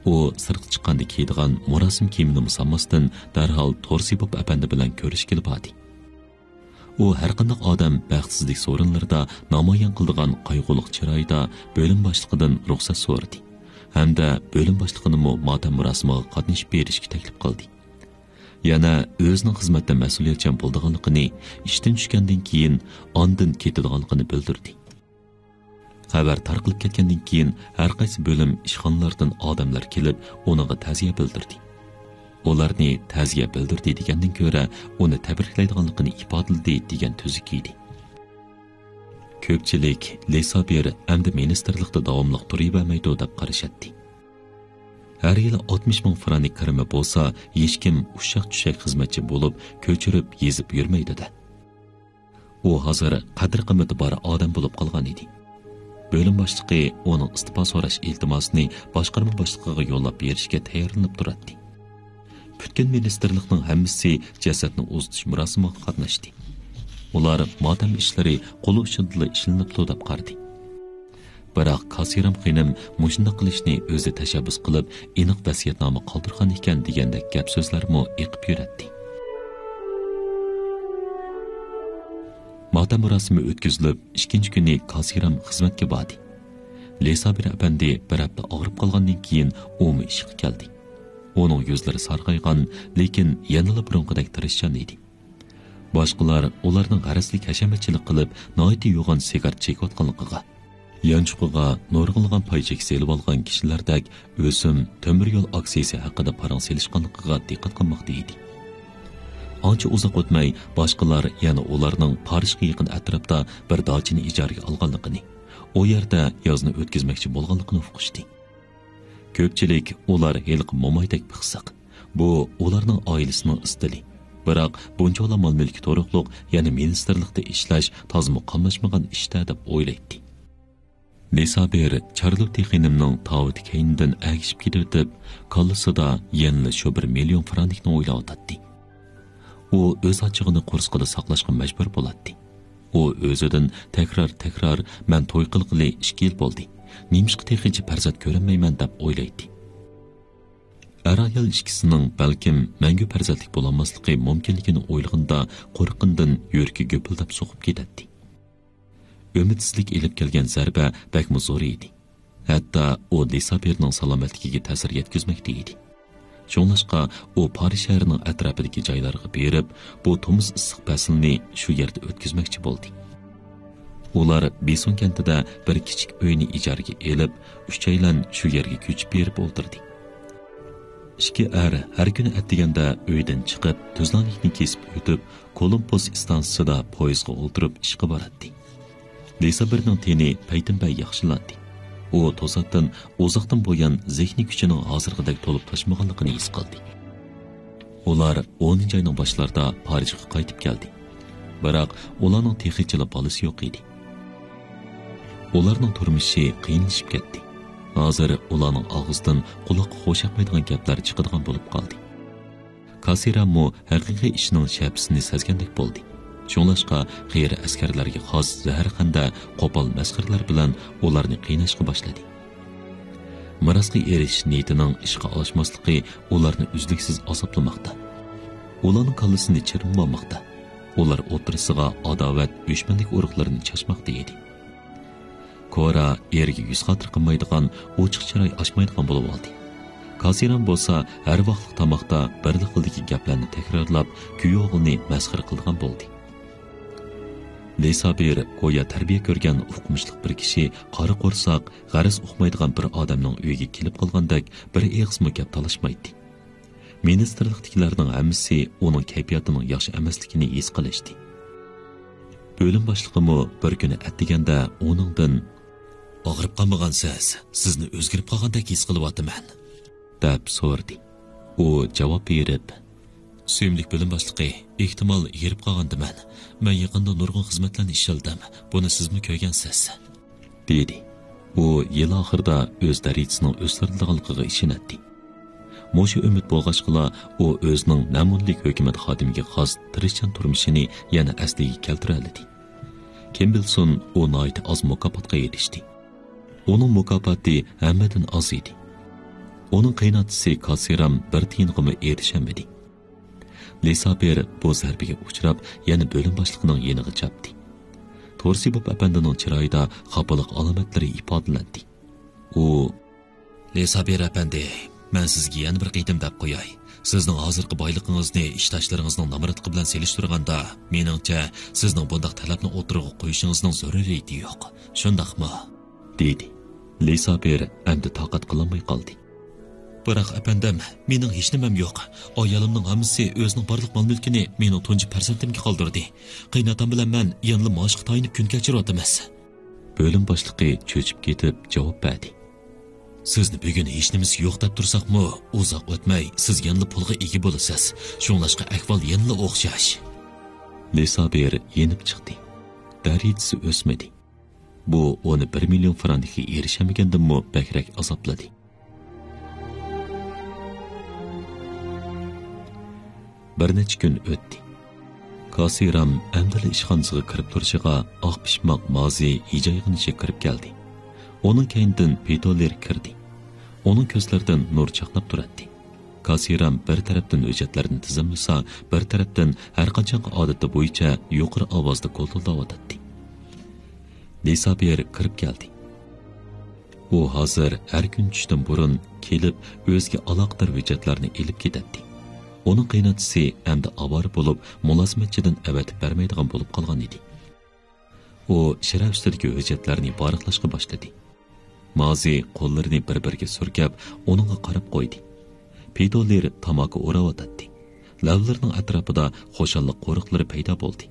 ئۇ سىرتقا چىققاندا كىيىدىغان مۇراسىم كىيىمىنىمۇ سالماستىن، دەرھال تورسىبوف ئەپەندى بىلەن كۆرۈشكىلى باردى. ئۇ ھەرقانداق ئادەم بەختسىزلىك سورۇنلىرىدا نامايان قىلىدىغان قايغۇلۇق چىرايدا بۆلۈم باشلىقىدىن رۇخسەت سورىدى ھەمدە بۆلۈم باشلىقىنىمۇ ماتەم مۇراسىمىغا قاتنىشىپ بېرىشكە تەكلىپ قىلدى. يەنە ئۆزىنىڭ خىزمەتتە مەسئۇلىيەتچان بولىدىغانلىقىنى، ئىشتىن چۈشكەندىن كېيىن ئاندىن كېتىدىغانلىقىنى بىلدۈردى. خەۋەر تارقىلىپ كەتكەندىن كېيىن، ھەر قايسى بۆلۈم ئىشخانىلاردىن ئادەملەر كېلىپ، ئۇنىڭغا تەزىيە بىلدۈردى. ئۇلارنى تەزىيە بىلدۈردى دېگەندىن كۆرە، ئۇنى تەبرىكلەيدىغانلىقىنى ئىپادىلىدى دېگەن تۈزۈك ئىدى. كۆپچىلىك لىسابىر ئەمدى مىنىستىرلىقتا داۋاملىق تۇرۇۋەرمەيدۇ دەپ قارىشاتتى. ھەر يىلى ئاتمىش مىڭ فرانك كىرىمى بولسا، ھېچكىم ئۇششاق-چۈششەك خىزمەتچى بولۇپ، كۆچۈرۈپ يېزىپ يۈرمەيدۇ-دە. ئۇ ھازىر قەدىر-قىممىتى بار ئادەم بولۇپ قالغان ئىدى. بۆلۈم باشلىقى ئۇنىڭ ئىستېپا سوراش ئىلتىماسىنى باشقارما باشلىقىغا يوللاپ بېرىشكە تەييارلىنىپ تۇراتتى. پۈتكۈل مىنىستىرلىقنىڭ ھەممىسى جەسەتنى ئۇزىتىش مۇراسىمىغا قاتناشتى. ئۇلار ماتەم ئىشلىرى قول ئۇچىدىلا ئىشلىنىپتۇ دەپ قارىدى. بىراق كاسىرام خېنىم مۇشۇنداق قىلىشنى ئۆزى تەشەببۇس قىلىپ، ئېنىق ۋەسىيەتنامە قالدۇرغان ئىكەن دېگەندەك گەپ-سۆزلەرمۇ ئېقىپ يۈرەتتى. ماتەم مۇراسىمى ئۆتكۈزۈلۈپ، ئىككىنچى كۈنى كاسىرام خىزمەتكە باردى. لىسابىر ئەپەندى بىر ھەپتە ئاغرىپ قالغاندىن كېيىن ئۇمۇ ئىشقا كەلدى. ئۇنىڭ يۈزلىرى سارغايغان، لېكىن يەنىلا بۇرۇنقىدەك تىرىشچان ئىدى. باشقىلار ئۇلارنىڭ غەرەزلىك ھەشەمەتچىلىك قىلىپ، ناھايىتى يوغان سىگار چېكىۋاتقانلىقىغا، يانچۇقىغا نۇرغۇنلىغان پاي چېكى سېلىۋالغان كىشىلەردەك ئۆسۈم تۆمۈر يول ئاكسىيىسى ھەققىدە پاراڭ سېلىشقانلىقىغا دىققەت قىلماقتا ئىدى. ئانچە ئۇزاق ئۆتمەي، باشقىلار يەنە ئۇلارنىڭ پارىژغا يېقىن ئەتراپتا بىر داچىنى ئىجارىگە ئالغانلىقىنى، ئۇ يەردە يازنى ئۆتكۈزمەكچى بولغانلىقىنى ئۇقۇشتى. كۆپچىلىك ئۇلار ھېلىقى مومايدەك پىخسىق. بۇ ئۇلارنىڭ ئائىلىسىنىڭ ئىستىلى. بىراق بۇنچىۋالا مال-مۈلكى تۇرۇقلۇق، يەنە مىنىستىرلىقتا ئىشلەش تازىمۇ قاملاشمىغان ئىشتا دەپ ئويلايتتى. لىسابىر چارلوتتى خېنىمنىڭ تاۋۇتى كەينىدىن ئەگىشىپ كېتىۋېتىپ، كاللىسىدا يەنىلا شۇ بىر مىليون فرانكنى ئويلاۋاتاتتى. ئۇ ئۆز ئاچچىقىنى قورسىقىدا ساقلاشقا مەجبۇر بولاتتى. ئۇ ئۆزىدىن تەكرار-تەكرار، «مەن توي قىلغىلى ئىككى يىل بولدى. نېمىشقا تېخىچە پەرزەنت كۆرەلمەيمەن؟» دەپ ئويلايتتى. ئەر-ئايال ئىككىسىنىڭ بەلكىم مەڭگۈ پەرزەنتلىك بولالماسلىقى مۇمكىنلىكىنى ئويلىغىنىدا، قورققىنىدىن يۈرىكى گۈپۈلدەپ سوقۇپ كېتەتتى. ئۈمىدسىزلىك ئېلىپ كەلگەن زەربە بەكمۇ زور ئىدى. ھەتتا ئۇ لىسابىرنىڭ سالامەتلىكىگە تەسىر يەتكۈزمەكتە ئىدى. شۇڭلاشقا ئۇ پارىژ شەھىرىنىڭ ئەتراپىدىكى جايلارغا بېرىپ، بۇ تومۇز ئىسسىق پەسلىنى شۇ يەردە ئۆتكۈزمەكچى بولدى. ئۇلار بېسون كەنتىدە بىر كىچىك ئۆينى ئىجارىگە ئېلىپ، ئۈچەيلەن شۇ يەرگە كۆچۈپ بېرىپ ئولتۇردى. ئىككى ئەر ھەر كۈنى ئەتىگەندە ئۆيدىن چىقىپ، تۈزلەڭلىكنى كېسىپ ئۆتۈپ، كولومبوس ئىستانسىسىدا پويىزغا ئولتۇرۇپ ئىشقا باراتتى. لىسابىرنىڭ تېنى پەيتىنپەي ياخشىلاندى. ئۇ توساتتىن ئۇزاقتىن بۇيان زېھنىي كۈچىنىڭ ھازىرقىدەك تولۇپ تاشمىغانلىقىنى ھېس قىلدى. ئۇلار ئونىنچى ئاينىڭ باشلىرىدا پارىژغا قايتىپ كەلدى. بىراق ئۇلارنىڭ تېخىچىلا بالىسى يوق ئىدى. ئۇلارنىڭ تۇرمۇشى قىيىنلىشىپ كەتتى. ھازىر ئۇلارنىڭ ئاغزىدىن قۇلاققا خۇش ياقمايدىغان گەپلەر چىقىدىغان بولۇپ قالدى. كاسىراممۇ ھەقىقىي ئىشنىڭ شەپىسىنى سەزگەندەك بولدى. شۇڭلاشقا قېرى ئەسكەرلەرگە خاس زەھەرخەندە، قوپال مەسخىرىلەر بىلەن ئۇلارنى قىيناشقا باشلىدى. مىراسقا ئېرىشىش نىيىتىنىڭ ئىشقا ئاشماسلىقى ئۇلارنى ئۈزلۈكسىز ئازابلىماقتا. ئۇلارنىڭ كاللىسىنى چىرمىۋالماقتا. ئۇلار ئوتتۇرىسىغا ئاداۋەت، ئۆچمەنلىك ئۇرۇقلىرىنى چاچماقتا ئىدى. كورا ئېرىگە يۈز خاتىرە قىلمايدىغان، ئوچۇق چىراي ئاچمايدىغان بولۇۋالدى. كاسىرام بولسا ھەر ۋاقىتلىق تاماقتا بىرلا خىلدىكى گەپلەرنى تەكرارلاپ، كۈيئوغلىنى مەسخىرە قىلىدىغان بولدى. لىسابىر گويا تەربىيە كۆرگەن ئوقۇمۇشلۇق بىر كىشى، قارا قورساق، غەرەز ئۇقمايدىغان بىر ئادەمنىڭ ئۆيىگە كېلىپ قالغاندەك بىر ئېغىزمۇ گەپ تالاشمايتتى. مىنىستىرلىقتىكىلەرنىڭ ھەممىسى ئۇنىڭ كەيپىياتىنىڭ ياخشى ئەمەسلىكىنى ھېس قىلىشتى. بۆلۈم باشلىقىمۇ بىر كۈنى ئەتىگەندە ئۇنىڭدىن، «ئاغرىپ قالمىغانسىز، سىزنى ئۆزگىرىپ قالغاندەك ھېس قىلىۋاتىمەن.» دەپ سورىدى. ئۇ جاۋاب بېرىپ، «سۆيۈملۈك بۆلۈم باشلىقى، ئېھتىمال ھېرىپ قالغاندىمەن. مەن يېقىندا نۇرغۇن خىزمەتلەرنى ئىشلىدىم. بۇنى سىزمۇ كۆرگەنسىز.» دېدى. ئۇ يىل ئاخىرىدا ئۆز دەرىجىسىنىڭ ئۆستۈرۈلىدىغانلىقىغا ئىشىنەتتى. مۇشۇ ئۈمىد بولغاچقىلا، ئۇ ئۆزىنىڭ مەمۇرلۇق ھۆكۈمەت خادىمىگە خاس تىرىشچان تۇرمۇشىنى يەنە ئەسلىگە كەلتۈرەلىدى. كىم بىلسۇن، ئۇ ناھايىتى ئاز مۇكاپاتقا ئېرىشتى. ئۇنىڭ مۇكاپاتى ھەممىدىن ئاز ئىدى. ئۇنىڭ قېيىنئاتىسى كاسىرام بىر تىيىنغىمۇ ئېرىشەلمىدى. لىسابىر بۇ زەربىگە ئۇچراپ، يەنە بۆلۈم باشلىقىنىڭ يېنىغا چاپتى. تورسىبوف ئەپەندىنىڭ چىرايىدا خاپىلىق ئالامەتلىرى ئىپادىلەندى. ئۇ، لىسابىر ئەپەندى، مەن سىزگە يەنە بىر قېتىم دەپ قوياي. سىزنىڭ ھازىرقى بايلىقىڭىزنى ئىشداشلىرىڭىزنىڭ نامراتلىقى بىلەن سېلىشتۇرغاندا، مېنىڭچە، سىزنىڭ بۇنداق تەلەپنى ئوتتۇرىغا قويۇشىڭىزنىڭ زۆرۈرىيىتى يوق. شۇنداقمۇ؟ دېدى. لىسابىر ئەمدى تاقەت قىلالماي قالدى. بىراق، ئەپەندىم، مېنىڭ ھېچنېمەم يوق. ئايالىمنىڭ ھەممىسى ئۆزىنىڭ بارلىق مال-مۈلكىنى مېنىڭ تۇنجى پەرزەنتىمگە قالدۇردى. قېيىنئاتام بىلەن مەن يەنىلا مائاشقا تايىنىپ كۈن كەچۈرۈۋاتىمىز. بۆلۈم باشلىقى چۆچۈپ كېتىپ جاۋاب بەردى. سىزنى بۈگۈن ھېچنېمىسى يوق دەپ تۇرساقمۇ، ئۇزاق ئۆتمەي سىز يەنىلا پۇلغا ئىگە بولىسىز. شۇڭلاشقا ئەھۋال يەنىلا ئوخشاش. لىسابىر يېنىپ چىقتى. دەرىجىسى ئۆسمىدى. بۇ ئۇنى بىر مىليون فرانكقا ئېرىشەلمىگەندىنمۇ بەكرەك ئازابلىدى. بىر نەچچە كۈن ئۆتتى. كاسىرام ئەمدىلا ئىشخانىسىغا كىرىپ تۇرۇشىغا، ئاق پىشماق مازى ھىجايغىنىچە كىرىپ كەلدى. ئۇنىڭ كەينىدىن پېتولېر كىردى. ئۇنىڭ كۆزلىرىدىن نۇر چاقناپ تۇراتتى. كاسىرام بىر تەرەپتىن ھۆججەتلەرنى تىزىملىسا، بىر تەرەپتىن ھەرقاچانقى ئادىتى بويىچە يۇقىرى ئاۋازدا گولتۇلداۋاتاتتى. لىسابىر كىرىپ كەلدى. ئۇ ھازىر ھەر كۈن چۈشتىن بۇرۇن كېلىپ، ئۆزىگە ئالاقىدار ھۆججەتلەرنى ئېلىپ كېتەتتى. ئۇنىڭ قېيىنئاتىسى ئەمدى ئاۋارە بولۇپ، مۇلازىمەتچىدىن ئەۋەتىپ بەرمەيدىغان بولۇپ قالغان ئىدى. ئۇ شىرە ئۈستىدىكى ھۆججەتلەرنى ۋاراقلاشقا باشلىدى. مازى قوللىرىنى بىر-بىرىگە سۈركەپ، ئۇنىڭغا قاراپ قويدى. پېتولېر تاماكا ئوراۋاتاتتى. لەۋلىرىنىڭ ئەتراپىدا خۇشاللىق قورۇقلىرى پەيدا بولدى.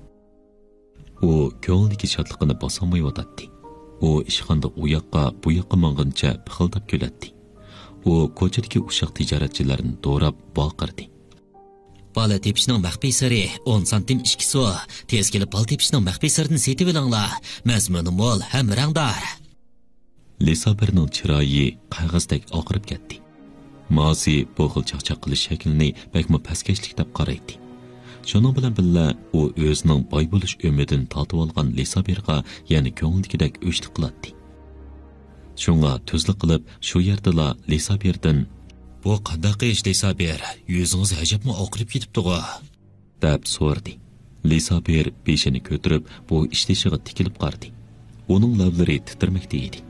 ئۇ كۆڭلىدىكى شادلىقىنى باسالمايۋاتاتتى. ئۇ ئىشخانىدا ئۇ ياققا، بۇ ياققا ماڭغىنىچە پىخىلداپ كۈلەتتى. ئۇ كوچىدىكى ئۇششاق تىجارەتچىلەرنى دوراپ ۋارقىرىدى. بالا تېپىشنىڭ مەخپىي سىرى، ئون سانتىم ئىككى سو. تېز كېلىپ بالا تېپىشنىڭ مەخپىي سىرىنى سېتىۋېلىڭلار. مەزمۇنى مول ھەم رەڭدار. لىسابىرنىڭ چىرايى قەغەزدەك ئاقىرىپ كەتتى. مازى بۇ خىل چاقچاق قىلىش شەكلىنى بەكمۇ پەسكەشلىك دەپ قارايتتى. شۇنىڭ بىلەن بىللە، ئۇ ئۆزىنىڭ باي بولۇش ئۈمىدىنى تارتىۋالغان لىسابىرغا يەنە كۆڭلىدىكىدەك ئۆچلۈك قىلاتتى. شۇڭا تۈزلۈك قىلىپ، شۇ يەردىلا لىسابىردىن، بۇ قانداق ئىش، لىسابىر؟ يۈزىڭىز ئەجەبمۇ ئاقىرىپ كېتىپتىغۇ؟ دەپ سورىدى. لىسابىر بېشىنى كۆتۈرۈپ، بۇ ئىشدىشىغا تىكىلىپ قارىدى. ئۇنىڭ لەۋلىرى تىترىمەكتە ئىدى.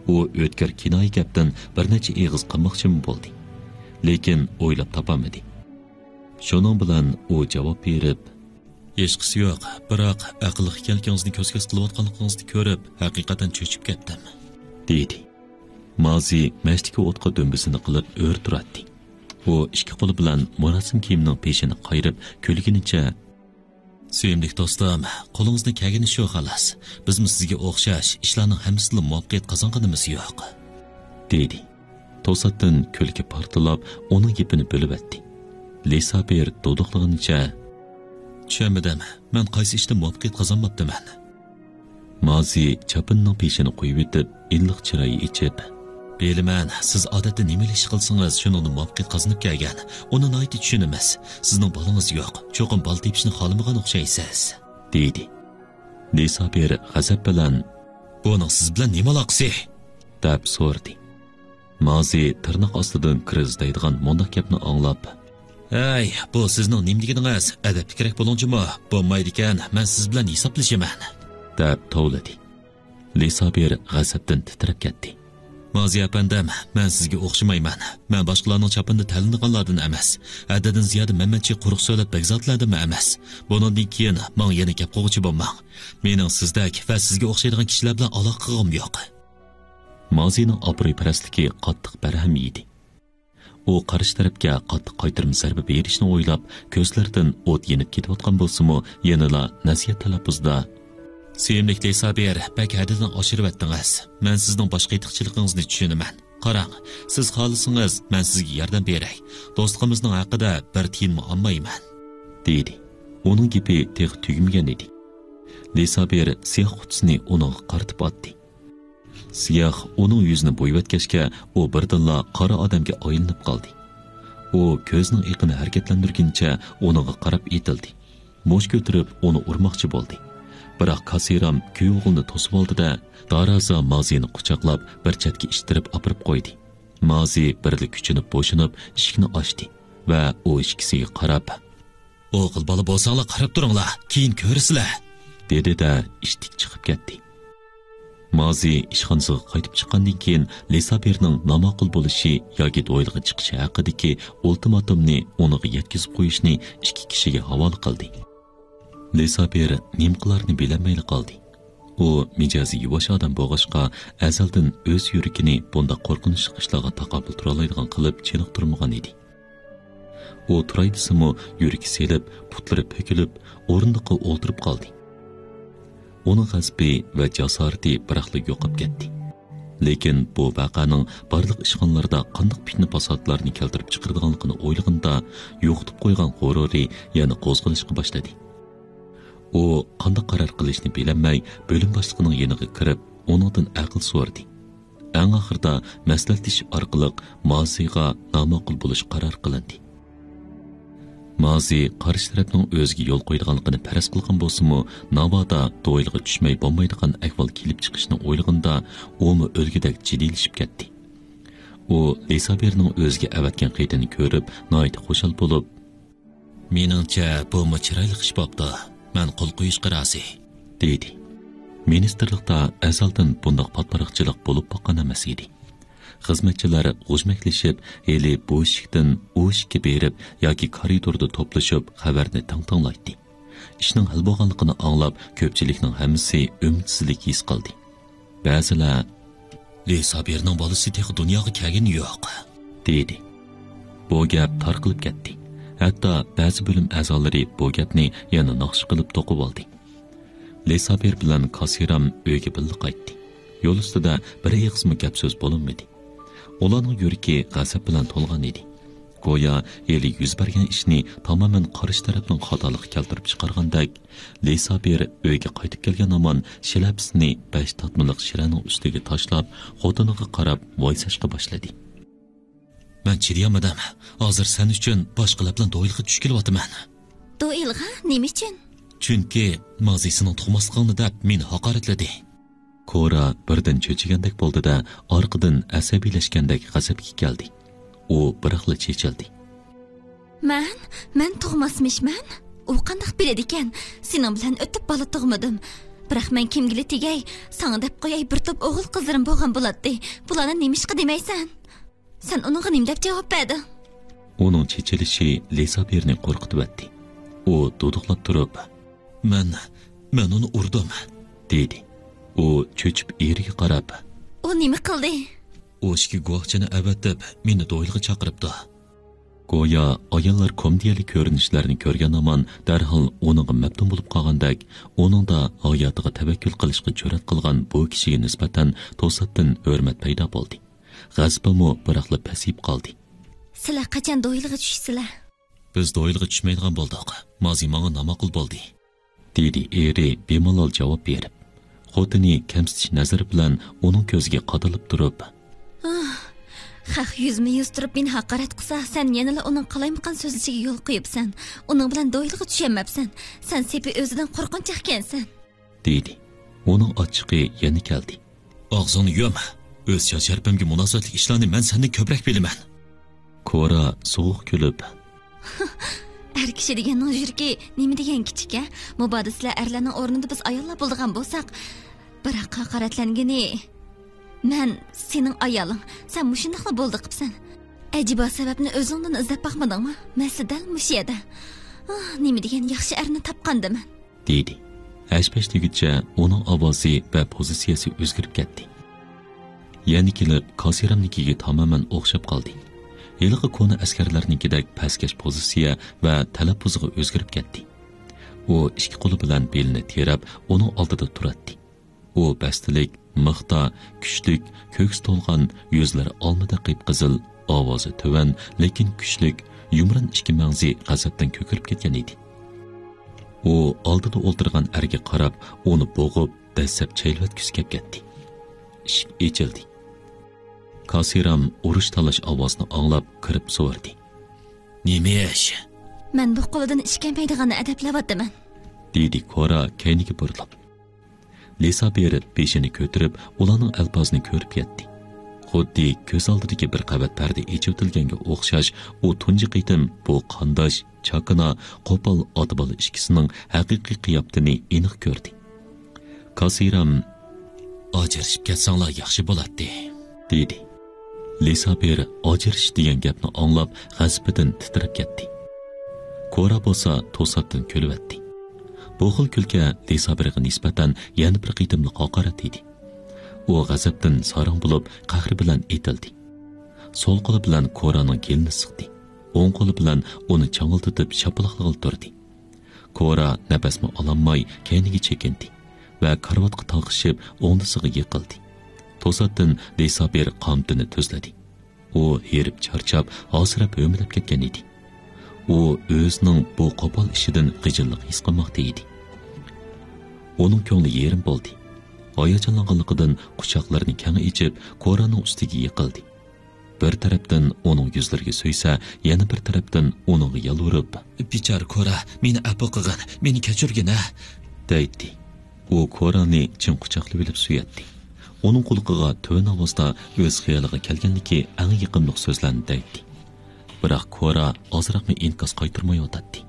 ئۇ ئۆتكۈر كىنايە گەپتىن بىر نەچچە ئېغىز قىلماقچىمۇ بولدى. لېكىن ئويلاپ تاپالمىدى. شۇنىڭ بىلەن ئۇ جاۋاب بېرىپ، ھېچقىسى يوق، بىراق ئەقىللىق ئىكەنلىكىڭىزنى كۆز-كۆز قىلىۋاتقانلىقىڭىزنى كۆرۈپ، ھەقىقەتەن چۆچۈپ كەتتىم. دېدى. مازى مەشتىكى ئوتقا دۈمبىسىنى قىلىپ ئۆرە تۇراتتى. ئۇ ئىككى قولى بىلەن مۇراسىم كىيىمىنىڭ پېشىنى قايرىپ كۈلگىنىچە، سۆيۈملۈك دوستۇم، قولىڭىزدىن كەلگىنى شۇ خالاس. بىزمۇ سىزگە ئوخشاش ئىشلارنىڭ ھەممىسىدىلا مۇۋەپپەقىيەت قازانغىنىمىز يوق. دېدى. توساتتىن كۈلكە پارتلاپ، ئۇنىڭ گېپىنى بۆلۈۋەتتى. لىسابىر دۇدۇقلىغىنىچە، چۈشەنمىدىم، مەن قايسى ئىشتا مۇۋەپپەقىيەت قازانماپتىمەن؟ مازى چاپىنىنىڭ پېشىنى قويۇۋېتىپ، ئىللىق چىراي ئېچىپ، بىلىمەن، سىز ئادەتتە نېمىلا ئىش قىلسىڭىز، شۇنىڭدا مۇۋەپپەقىيەت قازىنىپ كەلگەن. ئۇنى ناھايىتى چۈشىنىمىز. سىزنىڭ بالىڭىز يوق، چوقۇم بالا تېپىشنى خالىمىغان ئوخشايسىز. دېدى. لىسابىر غەزەپ بىلەن، بۇنىڭ سىز بىلەن نېمە ئالاقىسى؟ دەپ سورىدى. مازى تىرناق ئاستىدىن كىر ئىزدەيدىغان مۇنداق گەپنى ئاڭلاپ، ھەي، بۇ سىزنىڭ نېمە دېگىنىڭىز؟ ئەدەپلىكرەك بولۇڭ جۇمۇ، بولمايدىكەن، مەن سىز بىلەن ھېسابلىشىمەن. دەپ توۋلىدى. لىسابىر غەزەپتىن تىترەپ كەتتى. مازى ئەپەندىم، مەن سىزگە ئوخشىمايمەن. مەن باشقىلارنىڭ چاپىنىدا تەلىنىدىغانلاردىن ئەمەس. ھەددىدىن زىيادە مەنمەنچى قۇرۇق سۆزلەپ بەگزادىلەردىنمۇ ئەمەس. بۇنىڭدىن كېيىن ماڭا يەنە گەپ قىلغۇچى بولماڭ. مېنىڭ سىزدەك ۋە سىزگە ئوخشايدىغان كىشىلەر بىلەن ئالاقە قىلغۇم يوق. مازىنىڭ ئابرۇيپەرەسلىكى قاتتىق بەرھەم يېدى. ئۇ قارشى تەرەپكە قاتتىق قايتۇرما زەربە بېرىشنى ئويلاپ، كۆزلىرىدىن ئوت يېنىپ كېتىۋاتقان بولسىمۇ، يەنىلا نەسىھەت تەلەپپۇزىدا، سۆيۈملۈك لىسابىر، بەك ھەددىدىن ئاشۇرۇۋەتتىڭىز. مەن سىزنىڭ باش قېتىقچىلىقىڭىزنى چۈشىنىمەن. قاراڭ، سىز خالىسىڭىز، مەن سىزگە ياردەم بېرەي. دوستلۇقىمىزنىڭ ھەققىدە بىر تىيىنمۇ ئالمايمەن. دېدى. ئۇنىڭ گېپى تېخى تۈگىمىگەن ئىدى. لىسابىر سىياھ قۇتىسىنى ئۇنىڭغا قارىتىپ ئاتتى. سىياھ ئۇنىڭ يۈزىنى بويىۋەتكەچكە، ئۇ بىردىنلا قارا ئادەمگە ئايلىنىپ قالدى. ئۇ كۆزىنىڭ ئېقىنى ھەرىكەتلەندۈرگىنىچە ئۇنىڭغا قاراپ ئېتىلدى. مۇش كۆتۈرۈپ ئۇنى ئۇرماقچى بولدى. بىراق كاسىرام كۈيئوغلىنى توسۇۋالدى-دە، دارازا مازىنى قۇچاقلاپ بىر چەتكە ئىتتىرىپ ئاپىرىپ قويدى. مازى بىرلا كۈچىنىپ بوشىنىپ ئىشىكنى ئاچتى ۋە ئۇ ئىككىسىگە قاراپ، «ئوغۇل بالا بولساڭلار قاراپ تۇرۇڭلار، كېيىن كۆرىسىلەر» دېدى-دە، ئىشتىك چىقىپ كەتتى. مازى ئىشخانىسىغا قايتىپ چىققاندىن كېيىن، لىسابىرنىڭ ناماقۇل بولۇشى ياكى دويلىغا چىقىشى ھەققىدىكى ئۇلتىماتومنى ئۇنىڭغا يەتكۈزۈپ قويۇشنى ئىككى كىشىگە ھاۋالە قىلدى. لىسابىر نېمە قىلارنى بىلەلمەيلا قالدى. ئۇ مىجەزى يۇۋاش ئادەم بولغاچقا، ئەزەلدىن ئۆز يۈرىكىنى بۇنداق قورقۇنچلۇق ئىشلارغا تاقابىل تۇرالايدىغان قىلىپ چېنىقتۇرمىغان ئىدى. ئۇ تۇراي دېسىمۇ، يۈرىكى سېلىپ، پۇتلىرى پۈكۈلۈپ، ئورۇندۇققا ئولتۇرۇپ قالدى. ئۇنىڭ غەزىپى ۋە جاسارىتى بىراقلا يوقاپ كەتتى. لېكىن بۇ ۋەقەنىڭ بارلىق ئىشخانىلاردا قانداق پىتنە-پاساتلارنى كەلتۈرۈپ چىقىرىدىغانلىقىنى ئويلىغىنىدا، يوقىتىپ قويغان غۇرۇرى يەنە قوزغىلىشقا باشلىدى. ئۇ قانداق قارار قىلىشنى بىلەلمەي، بۆلۈم باشلىقىنىڭ يېنىغا كىرىپ، ئۇنىڭدىن ئەقىل سورىدى. ئەڭ ئاخىرىدا مەسلىھەتلىشىش ئارقىلىق مازىغا ناماقۇل بولۇش قارار قىلىندى. مازى قارشى تەرەپنىڭ ئۆزىگە يول قويىدىغانلىقىنى پەرەز قىلغان بولسىمۇ، ناۋادا دويلىغا چۈشمەي بولمايدىغان ئەھۋال كېلىپ چىقىشىنى ئويلىغىنىدا، ئۇمۇ ئۆلگۈدەك جىددىيلىشىپ كەتتى. ئۇ لىسابىرنىڭ ئۆزىگە ئەۋەتكەن خېتىنى كۆرۈپ، ناھايىتى خۇشال بولۇپ، «مېنىڭچە، بۇمۇ چىرايلىق ئىش بوپتۇ. مەن قول قويۇشقا رازى» دېدى. مىنىستىرلىقتا ئەزەلدىن بۇنداق پاتپاراقچىلىق بولۇپ باققان ئەمەس ئىدى. خىزمەتچىلەر غۇژمەكلىشىپ، ھېلى بۇ ئىشىكتىن ئۇ ئىشىككە بېرىپ ياكى كارىدوردا توپلىشىپ خەۋەرنى تىڭ تىڭلايتتى. ئىشنىڭ ھەل بولغانلىقىنى ئاڭلاپ، كۆپچىلىكنىڭ ھەممىسى ئۈمىدسىزلىك ھېس قىلدى. بەزىلەر، «لىسابىرنىڭ بالىسى تېخى دۇنياغا كەلگىنى يوق» دېدى. بۇ گەپ تارقىلىپ كەتتى. ھەتتا بەزى بۆلۈم ئەزالىرى بۇ گەپنى يەنە ناخشا قىلىپ توقۇۋالدى. لىسابىر بىلەن كاسىرام ئۆيگە بىللە قايتتى. يول ئۈستىدە بىر ئېغىزمۇ گەپ سۆز بولۇنمىدى. ئۇلارنىڭ يۈرىكى غەزەپ بىلەن تولغان ئىدى. گويا ھېلى يۈز بەرگەن ئىشنى تامامەن قارشى تەرەپنىڭ خاتالىقى كەلتۈرۈپ چىقارغاندەك، لىسابىر ئۆيگە قايتىپ كەلگەن ھامان شىلەپىسىنى بەش تاتمىلىق شىرەنىڭ ئۈستىگە تاشلاپ، خوتۇنىغا قاراپ ۋايساشقا باشلىدى. «مەن چىدىيالمىدىم. ھازىر سەن ئۈچۈن باشقىلار بىلەن دويلىغا چۈشۈپ كېلىۋاتىمەن.» «دويلىغا؟ نېمە ئۈچۈن؟» «چۈنكى مازى سېنىڭ تۇغماسلىقىڭنى دەپ مېنى ھاقارەتلىدى.» كورا بىردىن چۆچۈگەندەك بولدى-دە، ئارقىدىن ئەسەبىيلەشكەندەك غەزەپكە كەلدى. ئۇ بىراقلا چېچىلدى. «مەن؟ مەن تۇغماسمىشمەن؟ ئۇ قانداق بىلىدىكەن؟ سېنىڭ بىلەن ئۆتۈپ بالا تۇغمىدىم. بىراق مەن كىمگىلى تېگەي؟ ساڭا دەپ قوياي، بىر توپ ئوغۇل قىزلىرىم بولغان بولاتتى. بۇلارنى نېمىشقا دېمەيسەن؟ سەن ئۇنىڭغا نېمە دەپ جاۋاب بەردىڭ؟» ئۇنىڭ چېچىلىشى لىسابىرنى قورقۇتۇۋەتتى. ئۇ دۇدۇقلاپ تۇرۇپ، «مەن، مەن ئۇنى ئۇردۇم» دېدى. ئۇ چۆچۈپ ئېرىگە قاراپ، «ئۇ نېمە قىلدى؟» «ئۇ ئىككى گۇۋاھچىنى ئەۋەتىپ، مېنى دويلىغا چاقىرىپتۇ.» گويا ئاياللار كومېدىيەلىك كۆرۈنۈشلەرنى كۆرگەن ھامان دەرھال ئۇنىڭغا مەپتۇن بولۇپ قالغاندەك، ئۇنىڭدا ھاياتىغا تەۋەككۈل قىلىشقا جۈرئەت قىلغان بۇ كىشىگە نىسبەتەن توساتتىن ھۆرمەت پەيدا بولدى. غەزىپىمۇ بىراقلا پەسىيىپ قالدى. «سىلەر قاچان دويلىغا چۈشىسىلەر؟» «بىز دويلىغا چۈشمەيدىغان بولدۇق. مازى ماڭا ناماقۇل بولدى.» دېدى ئېرى بىمالال جاۋاب بېرىپ. خوتۇنى كەمسىتىش نەزىرى بىلەن ئۇنىڭ كۆزىگە قادىلىپ تۇرۇپ، «ئاھ، خەق يۈزمۇ يۈز تۇرۇپ مېنى ھاقارەت قىلسا، سەن يەنىلا ئۇنىڭ قالايمىقان سۆزلىشىگە يول قويۇپسەن. ئۇنىڭ بىلەن دويلىغا چۈشەلمەپسەن. سەن سېپى ئۆزىدىن قورقۇنچاقكەنسەن.» دېدى. ئۇنىڭ ئاچچىقى يەنە كەلدى. «ئاغزىڭنى يۇم. ئۆز شان-شەرىپىمگە مۇناسىۋەتلىك ئىشلارنى مەن سەندىن كۆپرەك بىلىمەن.» كورا سوغۇق كۈلۈپ، «ئەر كىشى دېگەننىڭ يۈرىكى نېمە دېگەن كىچىك، ھە؟ مۇبادا سىلەر ئەرلەرنىڭ ئورنىدا بىز ئاياللار بولىدىغان بولساق، بىراق ھاقارەتلەنگىنى مەن سېنىڭ ئايالىڭ، سەن مۇشۇنداقلا بولدى قىپسەن. ئەجەبا سەۋەبنى ئۆزۈڭدىن ئىزدەپ باقمىدىڭمۇ؟ مەسىلە دەل مۇشۇ يەردە. ئاھ، نېمە دېگەن ياخشى ئەرنى تاپقاندىمەن.» دېدى. ھەش-پەش دېگۈچە ئۇنىڭ ئاۋازى ۋە پوزىتسىيەسى ئۆزگىرىپ كەتتى. يەنە كېلىپ كاسىرامنىڭكىگە تامامەن ئوخشاپ قالدى. ھېلىقى كونا ئەسكەرلەرنىڭكىدەك پەسكەش پوزىتسىيە ۋە تەلەپپۇزىغا ئۆزگىرىپ كەتتى. ئۇ ئىككى قولى بىلەن بېلىنى تىرەپ، ئۇنىڭ ئالدىدا تۇراتتى. ئۇ بەستلىك، مىختا، كۈچلۈك، كۆكسى تولغان، يۈزلىرى ئالمىدەك قىپقىزىل، ئاۋازى تۆۋەن، لېكىن كۈچلۈك، يۇمران ئىككى مەڭزى غەزەپتىن كۆكىرىپ كەتكەن ئىدى. ئۇ ئالدىدا ئولتۇرغان ئەرگە قاراپ، ئۇنى بوغۇپ، دەسسەپ چەيلىۋەتكۈسى كەپ كەتتى. ئىشىك ئېچىلدى. كاسىرام ئۇرۇش تالاش ئاۋازىنى ئاڭلاپ كىرىپ سورىدى. نېمە ئىش؟ مەن بۇ قولىدىن ئىش كەلمەيدىغاننى ئەدەپلەۋاتىمەن. دېدى كورا كەينىگە بۇرۇلۇپ. لىسابىر بېشىنى كۆتۈرۈپ، ئۇلارنىڭ ئەلپازىنى كۆرۈپ يەتتى. خۇددى كۆز ئالدىدىكى بىر قەۋەت پەردە ئېچىۋېتىلگەنگە ئوخشاش، ئۇ تۇنجى قېتىم بۇ قانداش، چاكىنا، قوپال ئاتا-بالا ئىككىسىنىڭ ھەقىقىي قىياپىتىنى ئېنىق كۆردى. كاسىرام، ئاجرىشىپ كەتسەڭلار ياخشى بولاتتى، دېدى. لىسابىر ئاجرىشىش دېگەن گەپنى ئاڭلاپ، غەزىپىدىن تىترەپ كەتتى. كورا بولسا توساتتىن كۈلۈۋەتتى. بۇ خىل كۈلكە لىسابىرغا نىسبەتەن يەنە بىر قېتىملىق ھاقارەت ئىدى. ئۇ غەزەپتىن ساراڭ بولۇپ، قەھرى بىلەن ئېتىلدى. سول قولى بىلەن كورانىڭ كېلىنى سىقتى. ئوڭ قولى بىلەن ئۇنى چاڭىلدىتىپ شاپىلاقلىغىلى تۇردى. كورا نەپەسمۇ ئالالماي كەينىگە چېكىندى ۋە كارىۋاتقا تاقىشىپ ئوڭدىسىغا يىقىلدى. توساتتىن لىسابىر قامىتىنى تۈزلىدى. ئۇ ھېرىپ چارچاپ، ھاسىراپ ھۆمۈلەپ كەتكەن ئىدى. ئۇ ئۆزىنىڭ بۇ قوپال ئىشىدىن غىجىللىق ھېس قىلماقتا ئىدى. ئۇنىڭ كۆڭلى يېرىم بولدى. ھاياجانلانغانلىقىدىن قۇچاقلىرىنى كەڭ ئېچىپ، كورانىڭ ئۈستىگە يىقىلدى. بىر تەرەپتىن ئۇنىڭ يۈزلىرىگە سۆيسە، يەنە بىر تەرەپتىن ئۇنىڭغا يالۋۇرۇپ، بىچارە كورا، مېنى ئەپۇ قىلغىن، مېنى كەچۈرگىن ھە، دەيتتى. ئۇ كورانى چىڭ قۇچاقلىۋېلىپ سۆيەتتى. ئۇنىڭ قۇلىقىغا تۆۋەن ئاۋازدا ئۆز خىيالىغا كەلگەنلىكى ئەڭ يېقىملىق سۆزلەرنى دەيتتى. بىراق كورا ئازراقمۇ ئىنكاس قايتۇرمايۋاتاتتى.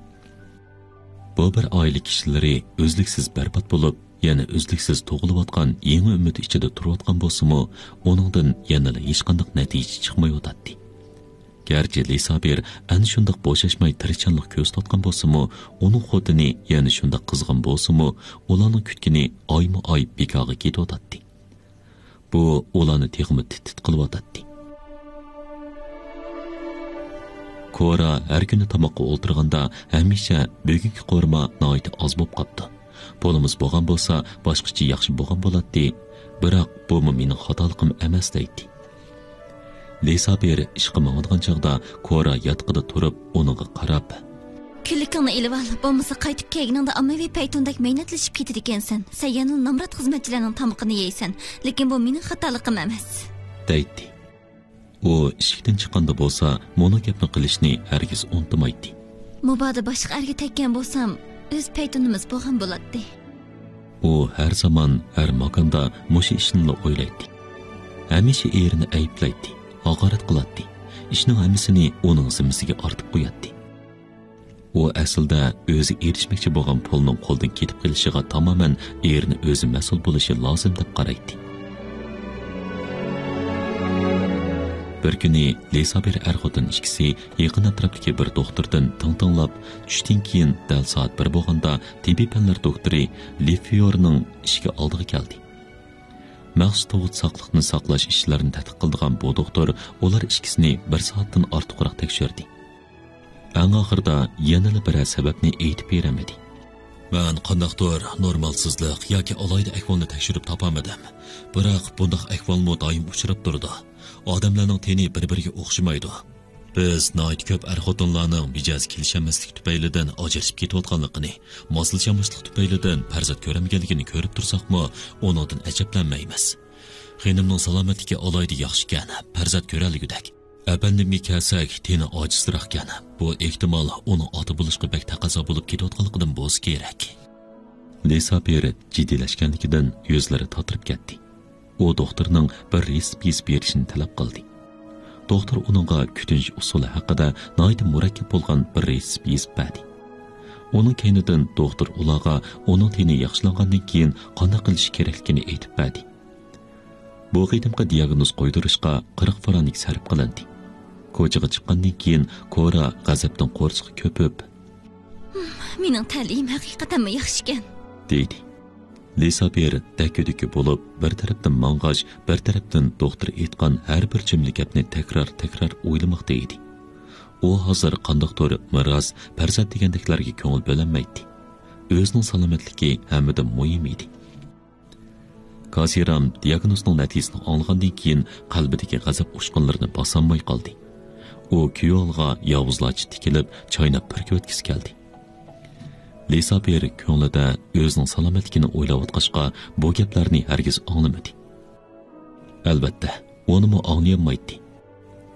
بۇ بىر ئائىلە كىشىلىرى ئۈزلۈكسىز بەربات بولۇپ، يەنە ئۈزلۈكسىز تۇغۇلۇۋاتقان يېڭى ئۈمىد ئىچىدە تۇرۇۋاتقان بولسىمۇ، ئۇنىڭدىن يەنىلا ھېچقانداق نەتىجە چىقمايۋاتاتتى. گەرچە لىسابىر ئەنە شۇنداق بوشاشماي تىرىشچانلىق كۆرسىتىۋاتقان بولسىمۇ، ئۇنىڭ خوتۇنى يەنە شۇنداق قىزغىن بولسىمۇ، ئۇلارنىڭ كۈتكىنى ئايمۇ ئاي بىكارغا كېتىۋاتاتتى. بۇ ئۇلارنى تېخىمۇ تىت-تىت قىلىۋاتاتتى. كورا ھەر كۈنى تاماققا ئولتۇرغاندا ھەمىشە بۈگۈنكى قورۇما ناھايىتى ئاز بولۇپ قاپتۇ. پۇلىمىز بولغان بولسا، باشقىچە ياخشى بولغان بولاتتى. بىراق بۇمۇ مېنىڭ خاتالىقىم ئەمەس، دەيتتى. لىسابىر ئىشقا ماڭىدىغان چاغدا كورا ياتىقىدا تۇرۇپ، ئۇنىڭغا قاراپ، كۈنلۈكۈڭنى ئېلىۋال، بولمىسا قايتىپ كەلگىنىڭدە ئاممىۋى پەيتۇندەك مەينەتلىشىپ كېتىدىكەنسەن. سەن يەنىلا نامرات خىزمەتچىلەرنىڭ تامىقىنى يەيسەن. لېكىن بۇ مېنىڭ خاتالىقىم ئەمەس، دەيتتى. ئۇ ئىشىكتىن چىققاندا بولسا، مۇنۇ گەپنى قىلىشنى ھەرگىز ئۇنتۇمايتتى. مۇبادا باشقا ئەرگە تەگكەن بولسام، ئۆز پەيتۇنىمىز بولغان بولاتتى. ئۇ ھەر زامان، ھەر ماكاندا مۇشۇ ئىشنىلا ئويلايتتى. ھەمىشە ئېرىنى ئەيىبلەيتتى، ھاقارەت قىلاتتى. ئىشنىڭ ھەممىسىنى ئۇنىڭ زىممىسىگە ئارتىپ قوياتتى. ئۇ ئەسلىدە ئۆزى ئېرىشمەكچى بولغان پۇلنىڭ قولدىن كېتىپ قېلىشىغا تامامەن ئېرىنى ئۆزى مەسئۇل بولۇشى لازىم دەپ قارايتتى. بىر كۈنى لىسابىر ئەر-خوتۇن ئىككىسى يېقىن ئەتراپتىكى بىر دوختۇردىن تىڭ تىڭلاپ، چۈشتىن كېيىن دەل سائەت بىر بولغاندا تېببىي پەنلەر دوكتورى لىفيورنىڭ ئىشىكى ئالدىغا كەلدى. مەخسۇس تۇغۇت ساقلىقنى ساقلاش ئىشلىرىنى تەتقىق قىلىدىغان بۇ دوختۇر ئۇلار ئىككىسىنى بىر سائەتتىن ئارتۇقراق تەكشۈردى. ئەڭ ئاخىرىدا يەنىلا بىرەر سەۋەبنى ئېيتىپ بېرەلمىدى. مەن قانداقتۇر نورمالسىزلىق ياكى ئالاھىدە ئەھۋالنى تەكشۈرۈپ تاپالمىدىم. بىراق بۇنداق ئەھۋالمۇ دائىم ئۇچراپ تۇرىدۇ. ئادەملەرنىڭ تېنى بىر-بىرىگە ئوخشىمايدۇ. بىز ناھايىتى كۆپ ئەر-خوتۇنلارنىڭ مىجەزى كېلىشەلمەسلىك تۈپەيلىدىن ئاجرىشىپ كېتىۋاتقانلىقىنى، ماسلىشالماسلىق تۈپەيلىدىن پەرزەنت كۆرەلمىگەنلىكىنى كۆرۈپ تۇرساقمۇ، ئۇنىڭدىن ئەجەبلەنمەيمىز. خېنىمنىڭ سالامەتلىكى ئالاھىدە ياخشىكەن، پەرزەنت كۆرەلىگۈدەك. ئەپەندىمگە كەلسەك، تېنى ئاجىزراقكەن. بۇ ئېھتىمال ئۇنىڭ ئاتا بولۇشقا بەك تەقەززا بولۇپ كېتىۋاتقانلىقىدىن بولسا كېرەك. لىسابىر جىددىيلەشكەنلىكىدىن يۈزلىرى تاتىرىپ كەتتى. ئۇ دوختۇرنىڭ بىر رېتسېپ يېزىپ بېرىشىنى تەلەپ قىلدى. دوختۇر ئۇنىڭغا كۈتۈنۈش ئۇسۇلى ھەققىدە ناھايىتى مۇرەككەپ بولغان بىر رېتسېپ يېزىپ بەردى. ئۇنىڭ كەينىدىن دوختۇر ئۇلارغا ئۇنىڭ تېنى ياخشىلانغاندىن كېيىن قانداق قىلىش كېرەكلىكىنى ئېيتىپ بەردى. بۇ قېتىمقى دىياگنوز قويدۇرۇشقا قىرىق فرانك سەرپ قىلىندى. كوچىغا چىققاندىن كېيىن كورا غەزەپتىن قورسىقى كۆپۈپ، مېنىڭ تەلىيىم ھەقىقەتەنمۇ ياخشىكەن، دېدى. لىسابىر دەككە-دۈككە بولۇپ، بىر تەرەپتىن ماڭغاچ، بىر تەرەپتىن دوختۇر ئېيتقان ھەر بىر جۈملە گەپنى تەكرار-تەكرار ئويلىماقتا ئىدى. ئۇ ھازىر قانداقتۇر مىراس، پەرزەنت دېگەندەكلەرگە كۆڭۈل بۆلەلمەيتتى. ئۆزىنىڭ سالامەتلىكى ھەممىدىن مۇھىم ئىدى. كاسىرام دىياگنوزنىڭ نەتىجىسىنى ئاڭلىغاندىن كېيىن قەلبىدىكى غەزەپ ئۇچقۇنلىرىنى باسالماي قالدى. ئۇ كۈيئالغا ياۋۇزلارچە تىكىلىپ، چايناپ پۈركۈۋەتكۈسى كەلدى. لىسابىر كۆڭلىدە ئۆزىنىڭ سالامەتلىكىنى ئويلاۋاتقاچقا، بۇ گەپلەرنى ھەرگىز ئاڭلىمىدى. ئەلۋەتتە، ئۇنىمۇ ئاڭلىيالمايتتى.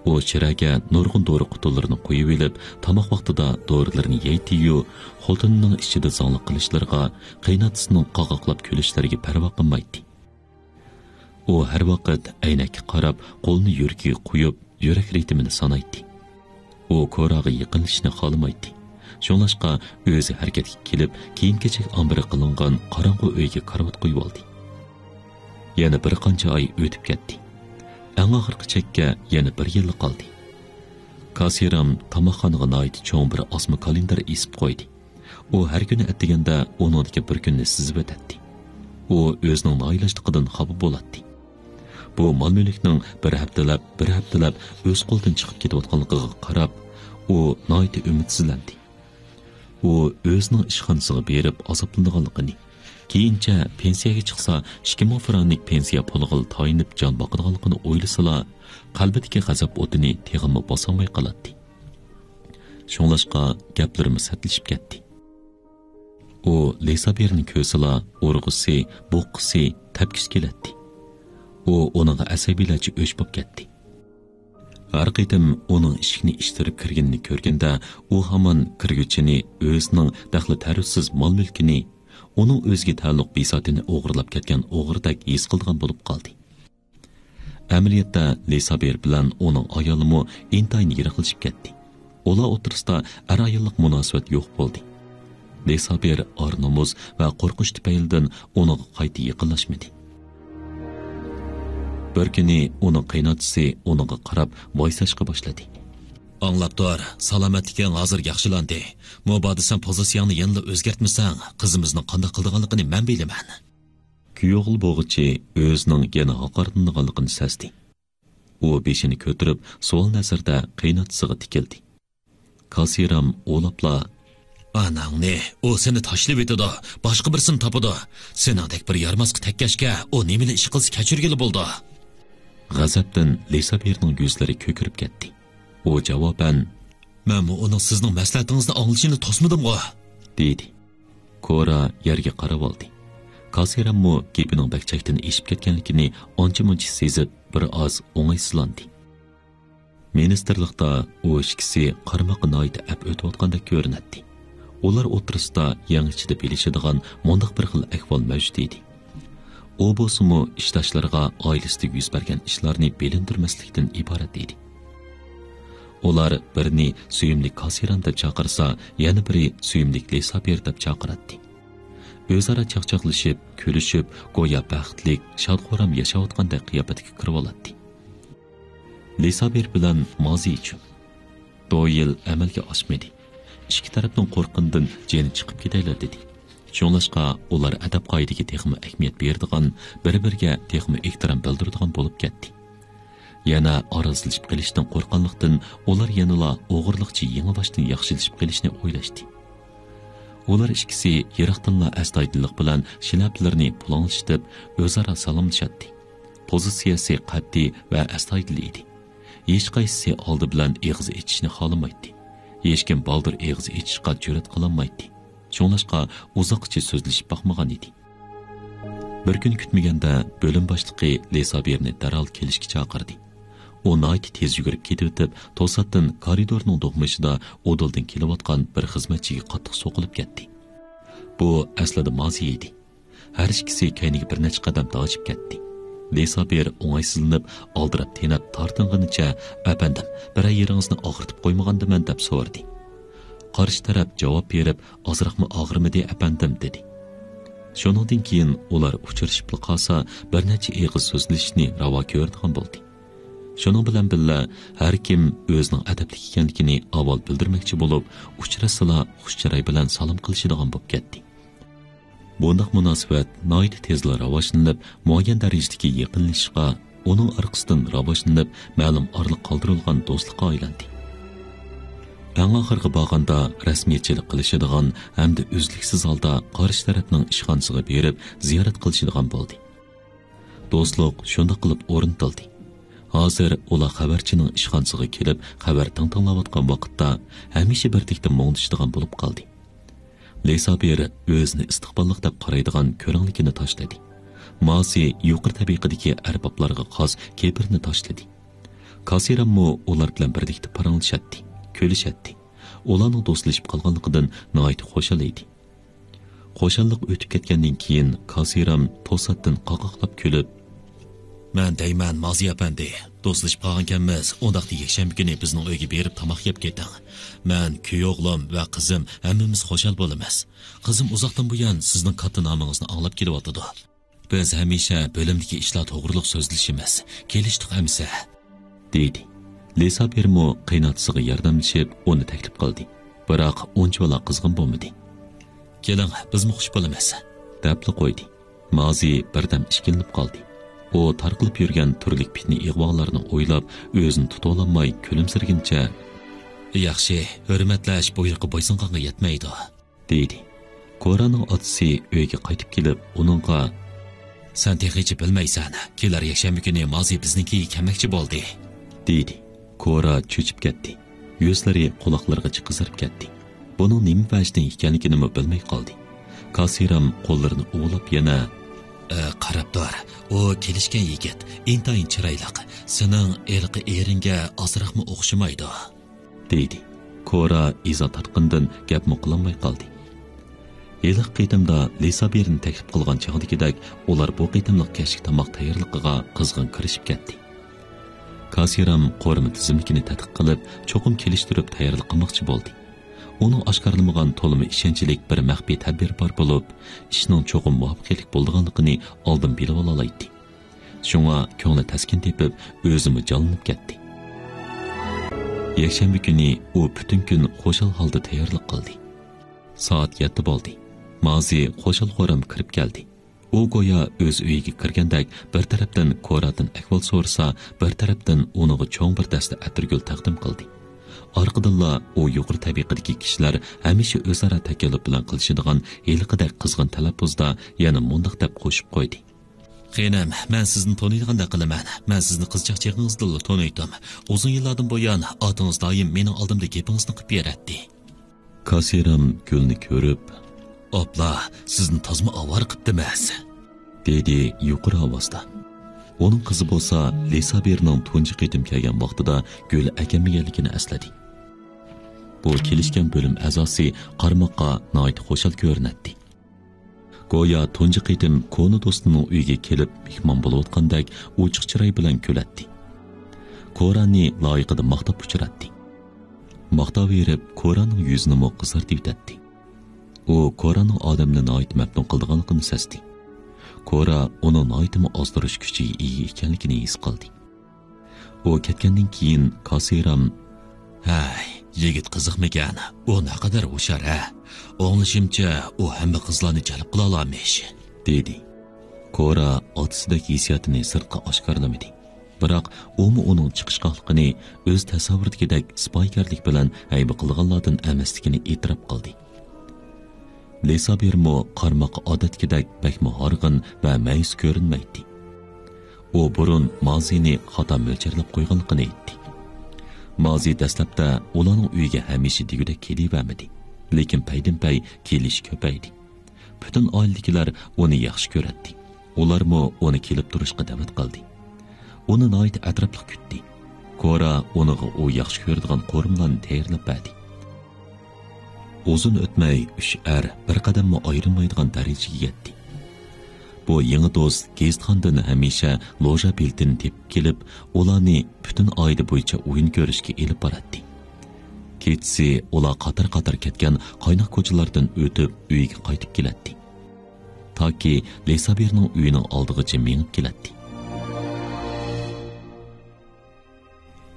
ئۇ شىرەگە نۇرغۇن دورا قۇتىلىرىنى قويۇۋېلىپ، تاماق ۋاقتىدا دورىلىرىنى يەيتتى-يۇ، خوتۇنىنىڭ ئىچىدە زاڭلىق قىلىشلىرىغا، قېيىنئاتىسىنىڭ قاقاقلاپ كۈلۈشلىرىگە پەرۋا قىلمايتتى. ئۇ ھەر ۋاقىت ئەينەككە قاراپ، قولىنى يۈرىكىگە قويۇپ، يۈرەك رىتىمىنى سانايتتى. ئۇ كوراغا يېقىنلىشىشنى خالىمايتتى. شۇڭلاشقا ئۆزى ھەرىكەتكە كېلىپ، كىيىم-كېچەك ئامبىرى قىلىنغان قاراڭغۇ ئۆيگە كارىۋات قويۇۋالدى. يەنە بىر قانچە ئاي ئۆتۈپ كەتتى. ئەڭ ئاخىرقى چەككە يەنە بىر يىللا قالدى. كاسىرام تاماقخانىغا ناھايىتى چوڭ بىر ئاسما كالېندار ئېسىپ قويدى. ئۇ ھەر كۈنى ئەتىگەندە ئۇنىڭدىكى بىر كۈننى سىزىۋېتەتتى. ئۇ ئۆزىنىڭ نائىلاجلىقىدىن خاپا بولاتتى. بۇ مال-مۈلۈكنىڭ بىر ھەپتىلەپ، بىر ھەپتىلەپ ئۆز قولىدىن چىقىپ كېتىۋاتقانلىقىغا قاراپ، ئۇ ناھايىتى ئۈمىدسىزلەندى. ئۇ ئۆزىنىڭ ئىشخانىسىغا بېرىپ ئازابلىنىدىغانلىقىنى، كېيىنچە پېنسىيەگە چىقسا، ئىككى مىڭ فرانك پېنسىيە پۇلىغىلا تايىنىپ جان باقىدىغانلىقىنى ئويلىسىلا، قەلبىدىكى غەزەپ ئوتىنى تېخىمۇ باسالماي قالاتتى. شۇڭلاشقا گەپلىرىمۇ سەتلىشىپ كەتتى. ئۇ لىسابىرنى كۆرسىلا، ئۇرغۇسى، بوققۇسى، تەپكۈسى كېلەتتى. ئۇ ئۇنىڭغا ئەسەبىيلەرچە ئۆچ بولۇپ كەتتى. ھەر قېتىم ئۇنىڭ ئىشىكنى ئىتتىرىپ كىرگىنىنى كۆرگەندە، ئۇ ھامان كىرگۈچىنى، ئۆزىنىڭ دەخلى-تەرۇزسىز مال-مۈلكىنى، ئۇنىڭ ئۆزىگە تەئەللۇق بىساتىنى ئوغرىلاپ كەتكەن ئوغرىدەك ھېس قىلىدىغان بولۇپ قالدى. ئەمەلىيەتتە، لىسابىر بىلەن ئۇنىڭ ئايالىمۇ ئىنتايىن يىراقلىشىپ كەتتى. ئۇلار ئوتتۇرىسىدا ئەر-ئاياللىق مۇناسىۋەت يوق بولدى. لىسابىر ئار-نومۇس ۋە قورقۇش تۈپەيلىدىن ئۇنىڭغا قايتا يېقىنلاشمىدى. بىر كۈنى ئۇنىڭ قېيىنئاتىسى ئۇنىڭغا قاراپ ۋايساشقا باشلىدى. ئاڭلاپ تۇر، سالامەتلىكىڭ ھازىر ياخشىلاندى. مۇبادا سەن پوزىتسىيەڭنى يەنىلا ئۆزگەرتمىسەڭ، قىزىمىزنىڭ قانداق قىلىدىغانلىقىنى مەن بىلىمەن. كۈيئوغۇل بوغۇچى ئۆزىنىڭ يەنە ھاقارىتىلىدىغانلىقىنى سەزدى. ئۇ بېشىنى كۆتۈرۈپ، سوئال نەزىرىدە قېيىنئاتىسىغا تىكىلدى. كاسىرام ئوۋلاپلا، ئاناڭنى، ئۇ سېنى تاشلىۋېتىدۇ، باشقا بىرسىنى تاپىدۇ. سېنىڭدەك بىر يارىماسقا تەگكەچكە، ئۇ نېمىلا ئىش قىلسا كەچۈرگىلى بولىدۇ. غەزەپتىن لىسابىرنىڭ يۈزلىرى كۆكىرىپ كەتتى. ئۇ جاۋابەن، مەنمۇ ئۇنىڭ سىزنىڭ مەسلىھەتىڭىزنى ئاڭلىشىنى توسمىدىمغۇ؟ دېدى. كورا يەرگە قاراۋالدى. كاسىراممۇ گېپىنىڭ بەك چەكتىن ئېشىپ كەتكەنلىكىنى ئانچە-مۇنچە سېزىپ، بىر ئاز ئوڭايسىزلاندى. مىنىستىرلىقتا ئۇ ئىككىسى قارىماققا ناھايىتى ئەپ ئۆتۈۋاتقاندەك كۆرۈنەتتى. ئۇلار ئوتتۇرىسىدا يەڭ ئىچىدە بىلىشىدىغان مۇنداق بىر خىل ئەھۋال مەۋجۇت ئىدى. ئۇ بولسىمۇ ئىشداشلىرىغا ئائىلىسىدە يۈز بەرگەن ئىشلارنى بىلىندۈرمەسلىكتىن ئىبارەت ئىدى. ئۇلار بىرىنى سۆيۈملۈك كاسىرام دەپ چاقىرسا، يەنە بىرى سۆيۈملۈك لىسابىر دەپ چاقىراتتى. ئۆزئارا چاقچاقلىشىپ، كۈلۈشۈپ، گويا بەختلىك، شاد-خۇرام ياشاۋاتقاندەك قىياپەتكە كىرىۋالاتتى. لىسابىر بىلەن مازى ئۈچۈن. دويىل ئەمەلگە ئاشمىدى. ئىككى تەرەپنىڭ قورققىنىدىن جېنى چىقىپ كېتەيلا دېدى. شۇڭلاشقا ئۇلار ئەدەپ-قائىدىگە تېخىمۇ ئەھمىيەت بېرىدىغان، بىر-بىرىگە تېخىمۇ ئېھتىرام بىلدۈرىدىغان بولۇپ كەتتى. يەنە ئارىلىشىپ قېلىشتىن قورققانلىقتىن، ئۇلار يەنىلا ئوغرىلىقچە يېڭىباشتىن ياخشىلىشىپ قېلىشنى ئويلاشتى. ئۇلار ئىككىسى يىراقتىنلا ئەستايىدىللىق بىلەن شىلەپىلىرىنى پۇلاڭلىشىتىپ، ئۆزئارا سالاملىشاتتى. پوزىتسىيەسى قەتئىي ۋە ئەستايىدىل ئىدى. ھېچقايسىسى ئالدى بىلەن ئېغىز ئېچىشنى خالىمايتتى. ھېچكىم بالدۇر ئېغىز ئېچىشقا جۈرئەت قىلالمايتتى. شۇڭلاشقا ئۇزاققىچە سۆزلىشىپ باقمىغان ئىدى. بىر كۈن كۈتمىگەندە بۆلۈم باشلىقى لىسابىرنى دەرھال كېلىشكە چاقىردى. ئۇ ناھايىتى تېز يۈگۈرۈپ كېتىۋېتىپ، توساتتىن كارىدورنىڭ دوقمۇشىدا ئۇدۇلدىن كېلىۋاتقان بىر خىزمەتچىگە قاتتىق سوقۇلۇپ كەتتى. بۇ ئەسلىدە مازى ئىدى. ھەر ئىككىسى كەينىگە بىر نەچچە قەدەم تاجىپ كەتتى. لىسابىر ئوڭايسىزلىنىپ، ئالدىراپ تېنەپ تارتىنغىنىچە، ئەپەندىم، بىرەر يېرىڭىزنى ئاغرىتىپ قويمىغاندىمەن دەپ سورىدى. قارشى تەرەپ جاۋاب بېرىپ، ئازراقمۇ ئاغرىمىدى، ئەپەندىم، دېدى. شۇنىڭدىن كېيىن ئۇلار ئۇچرىشىپلا قالسا، بىر نەچچە ئېغىز سۆزلىشىشنى راۋا كۆرىدىغان بولدى. شۇنىڭ بىلەن بىللە، ھەر كىم ئۆزىنىڭ ئەدەپلىك ئىكەنلىكىنى ئاۋۋال بىلدۈرمەكچى بولۇپ، ئۇچراشسىلا خۇش چىراي بىلەن سالام قىلىشىدىغان بولۇپ كەتتى. بۇنداق مۇناسىۋەت ناھايىتى تېزلا راۋاجلىنىپ، مۇئەييەن دەرىجىدىكى يېقىنلىشىشقا، ئۇنىڭ ئارقىسىدىن راۋاجلىنىپ، مەلۇم ئارىلىق قالدۇرۇلغان دوستلۇققا ئايلاندى. ئەڭ ئاخىرىغا بارغاندا رەسمىيەتچىلىك قىلىشىدىغان ھەمدە ئۈزلۈكسىز ھالدا قارشى تەرەپنىڭ ئىشخانىسىغا بېرىپ زىيارەت قىلىشىدىغان بولدى. دوستلۇق شۇنداق قىلىپ ئورنىتىلدى. ھازىر ئۇلار خەۋەرچىنىڭ ئىشخانىسىغا كېلىپ، خەۋەر تىڭ تىڭلاۋاتقان ۋاقىتتا، ھەمىشە بىردەكتە مۇڭدىشىدىغان بولۇپ قالدى. لىسابىر ئۆزىنى ئىستىقباللىق دەپ قارايدىغان كۆرەڭلىكىنى تاشلىدى. مازى يۇقىرى تەبىقىدىكى ئەربابلارغا خاس كىبىرنى تاشلىدى. كاسىراممۇ ئۇلار بىلەن بىرلىكتە پاراڭلىشاتتى، كۈلۈشەتتى. ئۇلارنىڭ دوستلىشىپ قالغانلىقىدىن ناھايىتى خۇشال ئىدى. خۇشاللىق ئۆتۈپ كەتكەندىن كېيىن، كاسىرام توساتتىن قاقاقلاپ كۈلۈپ، مەن دەيمەن، مازى ئەپەندى، دوستلىشىپ قالغانكەنمىز، ئۇنداقتا يەكشەنبە كۈنى بىزنىڭ ئۆيگە بېرىپ تاماق يەپ كېتىڭ. مەن، كۈيئوغلۇم ۋە قىزىم ھەممىمىز خۇشال بولىمىز. قىزىم ئۇزاقتىن بۇيان سىزنىڭ كاتتا نامىڭىزنى ئاڭلاپ كېلىۋاتىدۇ. بىز ھەمىشە بۆلۈمدىكى ئىشلار توغرۇلۇق سۆزلىشىمىز. كېلىشتۇق ئەمىسە، دېدى. لىسابىرمۇ قېيىنئاتىسىغا ياردەملىشىپ، ئۇنى تەكلىپ قىلدى. بىراق ئۇنچىۋالا قىزغىن بولمىدى. كېلىڭ، بىزمۇ خۇش بولىمىز، دەپلا قويدى. مازى بىردەم ئىككىلىنىپ قالدى. ئۇ تارقىلىپ يۈرگەن تۈرلۈك پىتنە-ئىغۋالارنى ئويلاپ، ئۆزىنى تۇتۇۋالالماي كۈلۈمسىرىگىنىچە، ياخشى، ھۆرمەتلەش بۇيرۇققا بويسۇنغانغا يەتمەيدۇ، دېدى. كورانىڭ ئاتىسى ئۆيگە قايتىپ كېلىپ، ئۇنىڭغا، سەن تېخىچە بىلمەيسەن، كېلەر يەكشەنبە كۈنى مازى بىزنىڭكىگە كەلمەكچى بولدى، دېدى. كورا چۆچۈپ كەتتى. يۈزلىرى قۇلاقلىرىغىچە قىزىرىپ كەتتى. بۇنىڭ نېمە ۋەجدىن ئىكەنلىكىنىمۇ بىلمەي قالدى. كاسىرام قوللىرىنى ئۇۋىلاپ يەنە، ئە، قاراپ تۇر، ئۇ كېلىشكەن يىگىت ئىنتايىن چىرايلىق، سېنىڭ ھېلىقى ئېرىڭگە ئازراقمۇ ئوخشىمايدۇ، دېدى. كورا ئىزا تارتقىنىدىن گەپمۇ قىلالماي قالدى. ھېلىقى قېتىمدا لىسابىرنى تەكلىپ قىلغان چاغدىكىدەك، ئۇلار بۇ قېتىملىق كەچلىك تاماق تەييارلىقىغا قىزغىن كىرىشىپ كەتتى. كاسىرام قورۇما تىزىملىكىنى تەتقىق قىلىپ، چوقۇم كېلىشتۈرۈپ تەييارلىق قىلماقچى بولدى. ئۇنىڭ ئاشكارىلىمىغان تولىمۇ ئىشەنچلىك بىر مەخپىي تەدبىرى بار بولۇپ، ئىشنىڭ چوقۇم مۇۋەپپەقىيەتلىك بولىدىغانلىقىنى ئالدىن بىلىۋالالايتتى. شۇڭا كۆڭلى تەسكىن تېپىپ، ئۆزىمۇ جانلىنىپ كەتتى. يەكشەنبە كۈنى ئۇ پۈتۈن كۈن خۇشال ھالدا تەييارلىق قىلدى. سائەت يەتتە بولدى. مازى خۇشال-خۇرام كىرىپ كەلدى. ئۇ گويا ئۆز ئۆيىگە كىرگەندەك بىر تەرەپتىن كورادىن ئەھۋال سورىسا، بىر تەرەپتىن ئۇنىڭغا چوڭ بىر دەستە ئەتىرگۈل تەقدىم قىلدى. ئارقىدىنلا ئۇ يۇقىرى تەبىقىدىكى كىشىلەر ھەمىشە ئۆزئارا تەكەللۇپ بىلەن قىلىشىدىغان ھېلىقىدەك قىزغىن تەلەپپۇزدا يەنە مۇنداق دەپ قوشۇپ قويدى. خېنىم، مەن سىزنى تونۇيدىغاندەك قىلىمەن. مەن سىزنى قىزچاق چېغىڭىزدىنلا تونۇيتتۇم. ئۇزۇن يىللاردىن بۇيان ئاتىڭىز دائىم مېنىڭ ئالدىمدا گېپىڭىزنى قىلىپ بېرەتتى. كاسىرام گۈلنى كۆرۈپ، ئاپلا، سىزنى تازىمۇ ئاۋارە قىپتىمىز، دېدى يۇقىرى ئاۋازدا. ئۇنىڭ قىزى بولسا لىسابىرنىڭ تۇنجى قېتىم كەلگەن ۋاقتىدا گۈل ئەكەلمىگەنلىكىنى ئەسلىدى. بۇ كېلىشكەن بۆلۈم ئەزاسى قارىماققا ناھايىتى خۇشال كۆرۈنەتتى. گويا تۇنجى قېتىم كونا دوستىنىڭ ئۆيىگە كېلىپ مېھمان بولۇۋاتقاندەك ئوچۇق چىراي بىلەن كۈلەتتى. كورانى لايىقىدا ماختاپ ئۇچۇراتتى. ماختاۋېرىپ كورانىڭ يۈزىنىمۇ قىزارتىۋېتەتتى. ئۇ كورانىڭ ئادەمنى ناھايىتى مەپتۇن قىلىدىغانلىقىنى سەزدى. كورا ئۇنىڭ ناھايىتىمۇ ئازدۇرۇش كۈچىگە ئىگە ئىكەنلىكىنى ھېس قىلدى. ئۇ كەتكەندىن كېيىن كاسىرام، ھەي، يىگىت قىزىقمىكەن؟ ئۇ نەقەدەر ھوشيار، ھە؟ ئاڭلىشىمچە، ئۇ ھەممە قىزلارنى جەلپ قىلالارمىش، دېدى. كورا ئاتىسىدەك ھېسسىياتىنى سىرتقا ئاشكارىلىمىدى. بىراق ئۇمۇ ئۇنىڭ چىقىشقاقلىقىنى ئۆز تەسەۋۋۇرىدىكىدەك سىپايىكارلىق بىلەن ھەيۋە قىلىدىغانلاردىن ئەمەسلىكىنى ئېتىراپ قىلدى. لىسابىرمۇ قارىماققا ئادەتتىكىدەك بەكمۇ ھارغىن ۋە مەيۈس كۆرۈنمەيتتى. ئۇ بۇرۇن مازىنى خاتا مۆلچەرلەپ قويغانلىقىنى ئېيتتى. مازى دەسلەپتە ئۇلارنىڭ ئۆيىگە ھەمىشە دېگۈدەك كېلىۋەرمىدى، لېكىن پەيدىنپەي كېلىشى كۆپەيدى. پۈتۈن ئائىلىدىكىلەر ئۇنى ياخشى كۆرەتتى. ئۇلارمۇ ئۇنى كېلىپ تۇرۇشقا دەۋەت قىلدى. ئۇنى ناھايىتى ئەتراپلىق كۈتتى. كورا ئۇنىڭغا ئۇ ياخشى كۆرىدىغان قورۇمىلارنى تەييارلاپ بەردى. ئۇزۇن ئۆتمەي ئۈچ ئەر بىر قەدەممۇ ئايرىلمايدىغان دەرىجىگە يەتتى. بۇ يېڭى دوست گېزىتخانىدىن ھەمىشە لوژا بېلىتىنى تېپىپ كېلىپ، ئۇلارنى پۈتۈن ئائىلە بويىچە ئويۇن كۆرۈشكە ئېلىپ باراتتى. كېچىسى ئۇلار قاتار-قاتار كەتكەن قايناق كوچىلاردىن ئۆتۈپ ئۆيىگە قايتىپ كېلەتتى. تاكى لىسابىرنىڭ ئۆيىنىڭ ئالدىغىچە مېڭىپ كېلەتتى.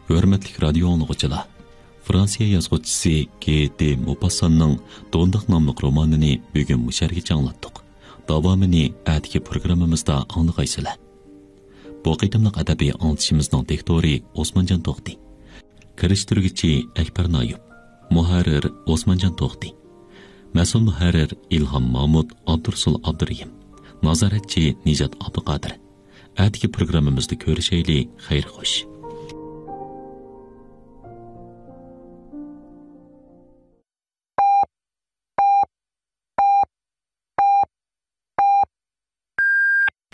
ھۆرمەتلىك رادىيو ئاڭلىغۇچىلار، فرانسىيە يازغۇچىسى گې دې موپاسساننىڭ دونداق ناملىق رومانىنى بۈگۈن مۇشۇ يەرگىچە ئاڭلاتتۇق. داۋامىنى ئەتىكى پروگراممىمىزدا ئاڭلىغايسىلەر. بۇ قېتىملىق ئەدەبىي ئاڭلىتىشىمىزنىڭ دىكتورى ئوسمانجان توختى. كىرىشتۈرگۈچى ئەكبەر نايۇپ. مۇھەررىر ئوسمانجان توختى. مەسئۇل مۇھەررىر ئىلھام مامۇت، ئابدۇرۇسۇل ئابدۇرېھىم. نازارەتچى نىجات ئابدۇقادىر. ئەتىكى پروگراممىمىزدا كۆرۈشەيلى. خەير خوش.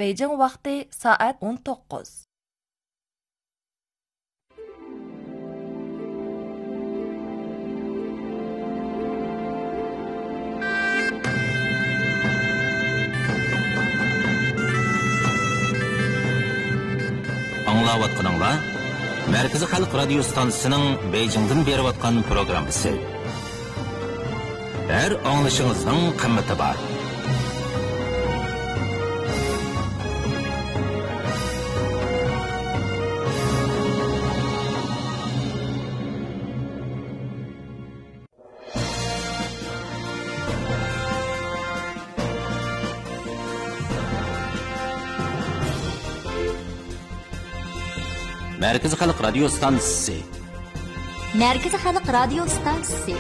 بېيجىڭ ۋاقتى سائەت ئون توققۇز. ئاڭلاۋاتقىنىڭلار مەركىزىي خەلق رادىيو ستانسىسىنىڭ بېيجىڭدىن بېرىۋاتقان پروگراممىسى. ھەر ئاڭلىشىڭىزنىڭ قىممىتى بار. مەركىزىي خەلق رادىيو ستانسىسى. مەركىزىي خەلق رادىيو ستانسىسى.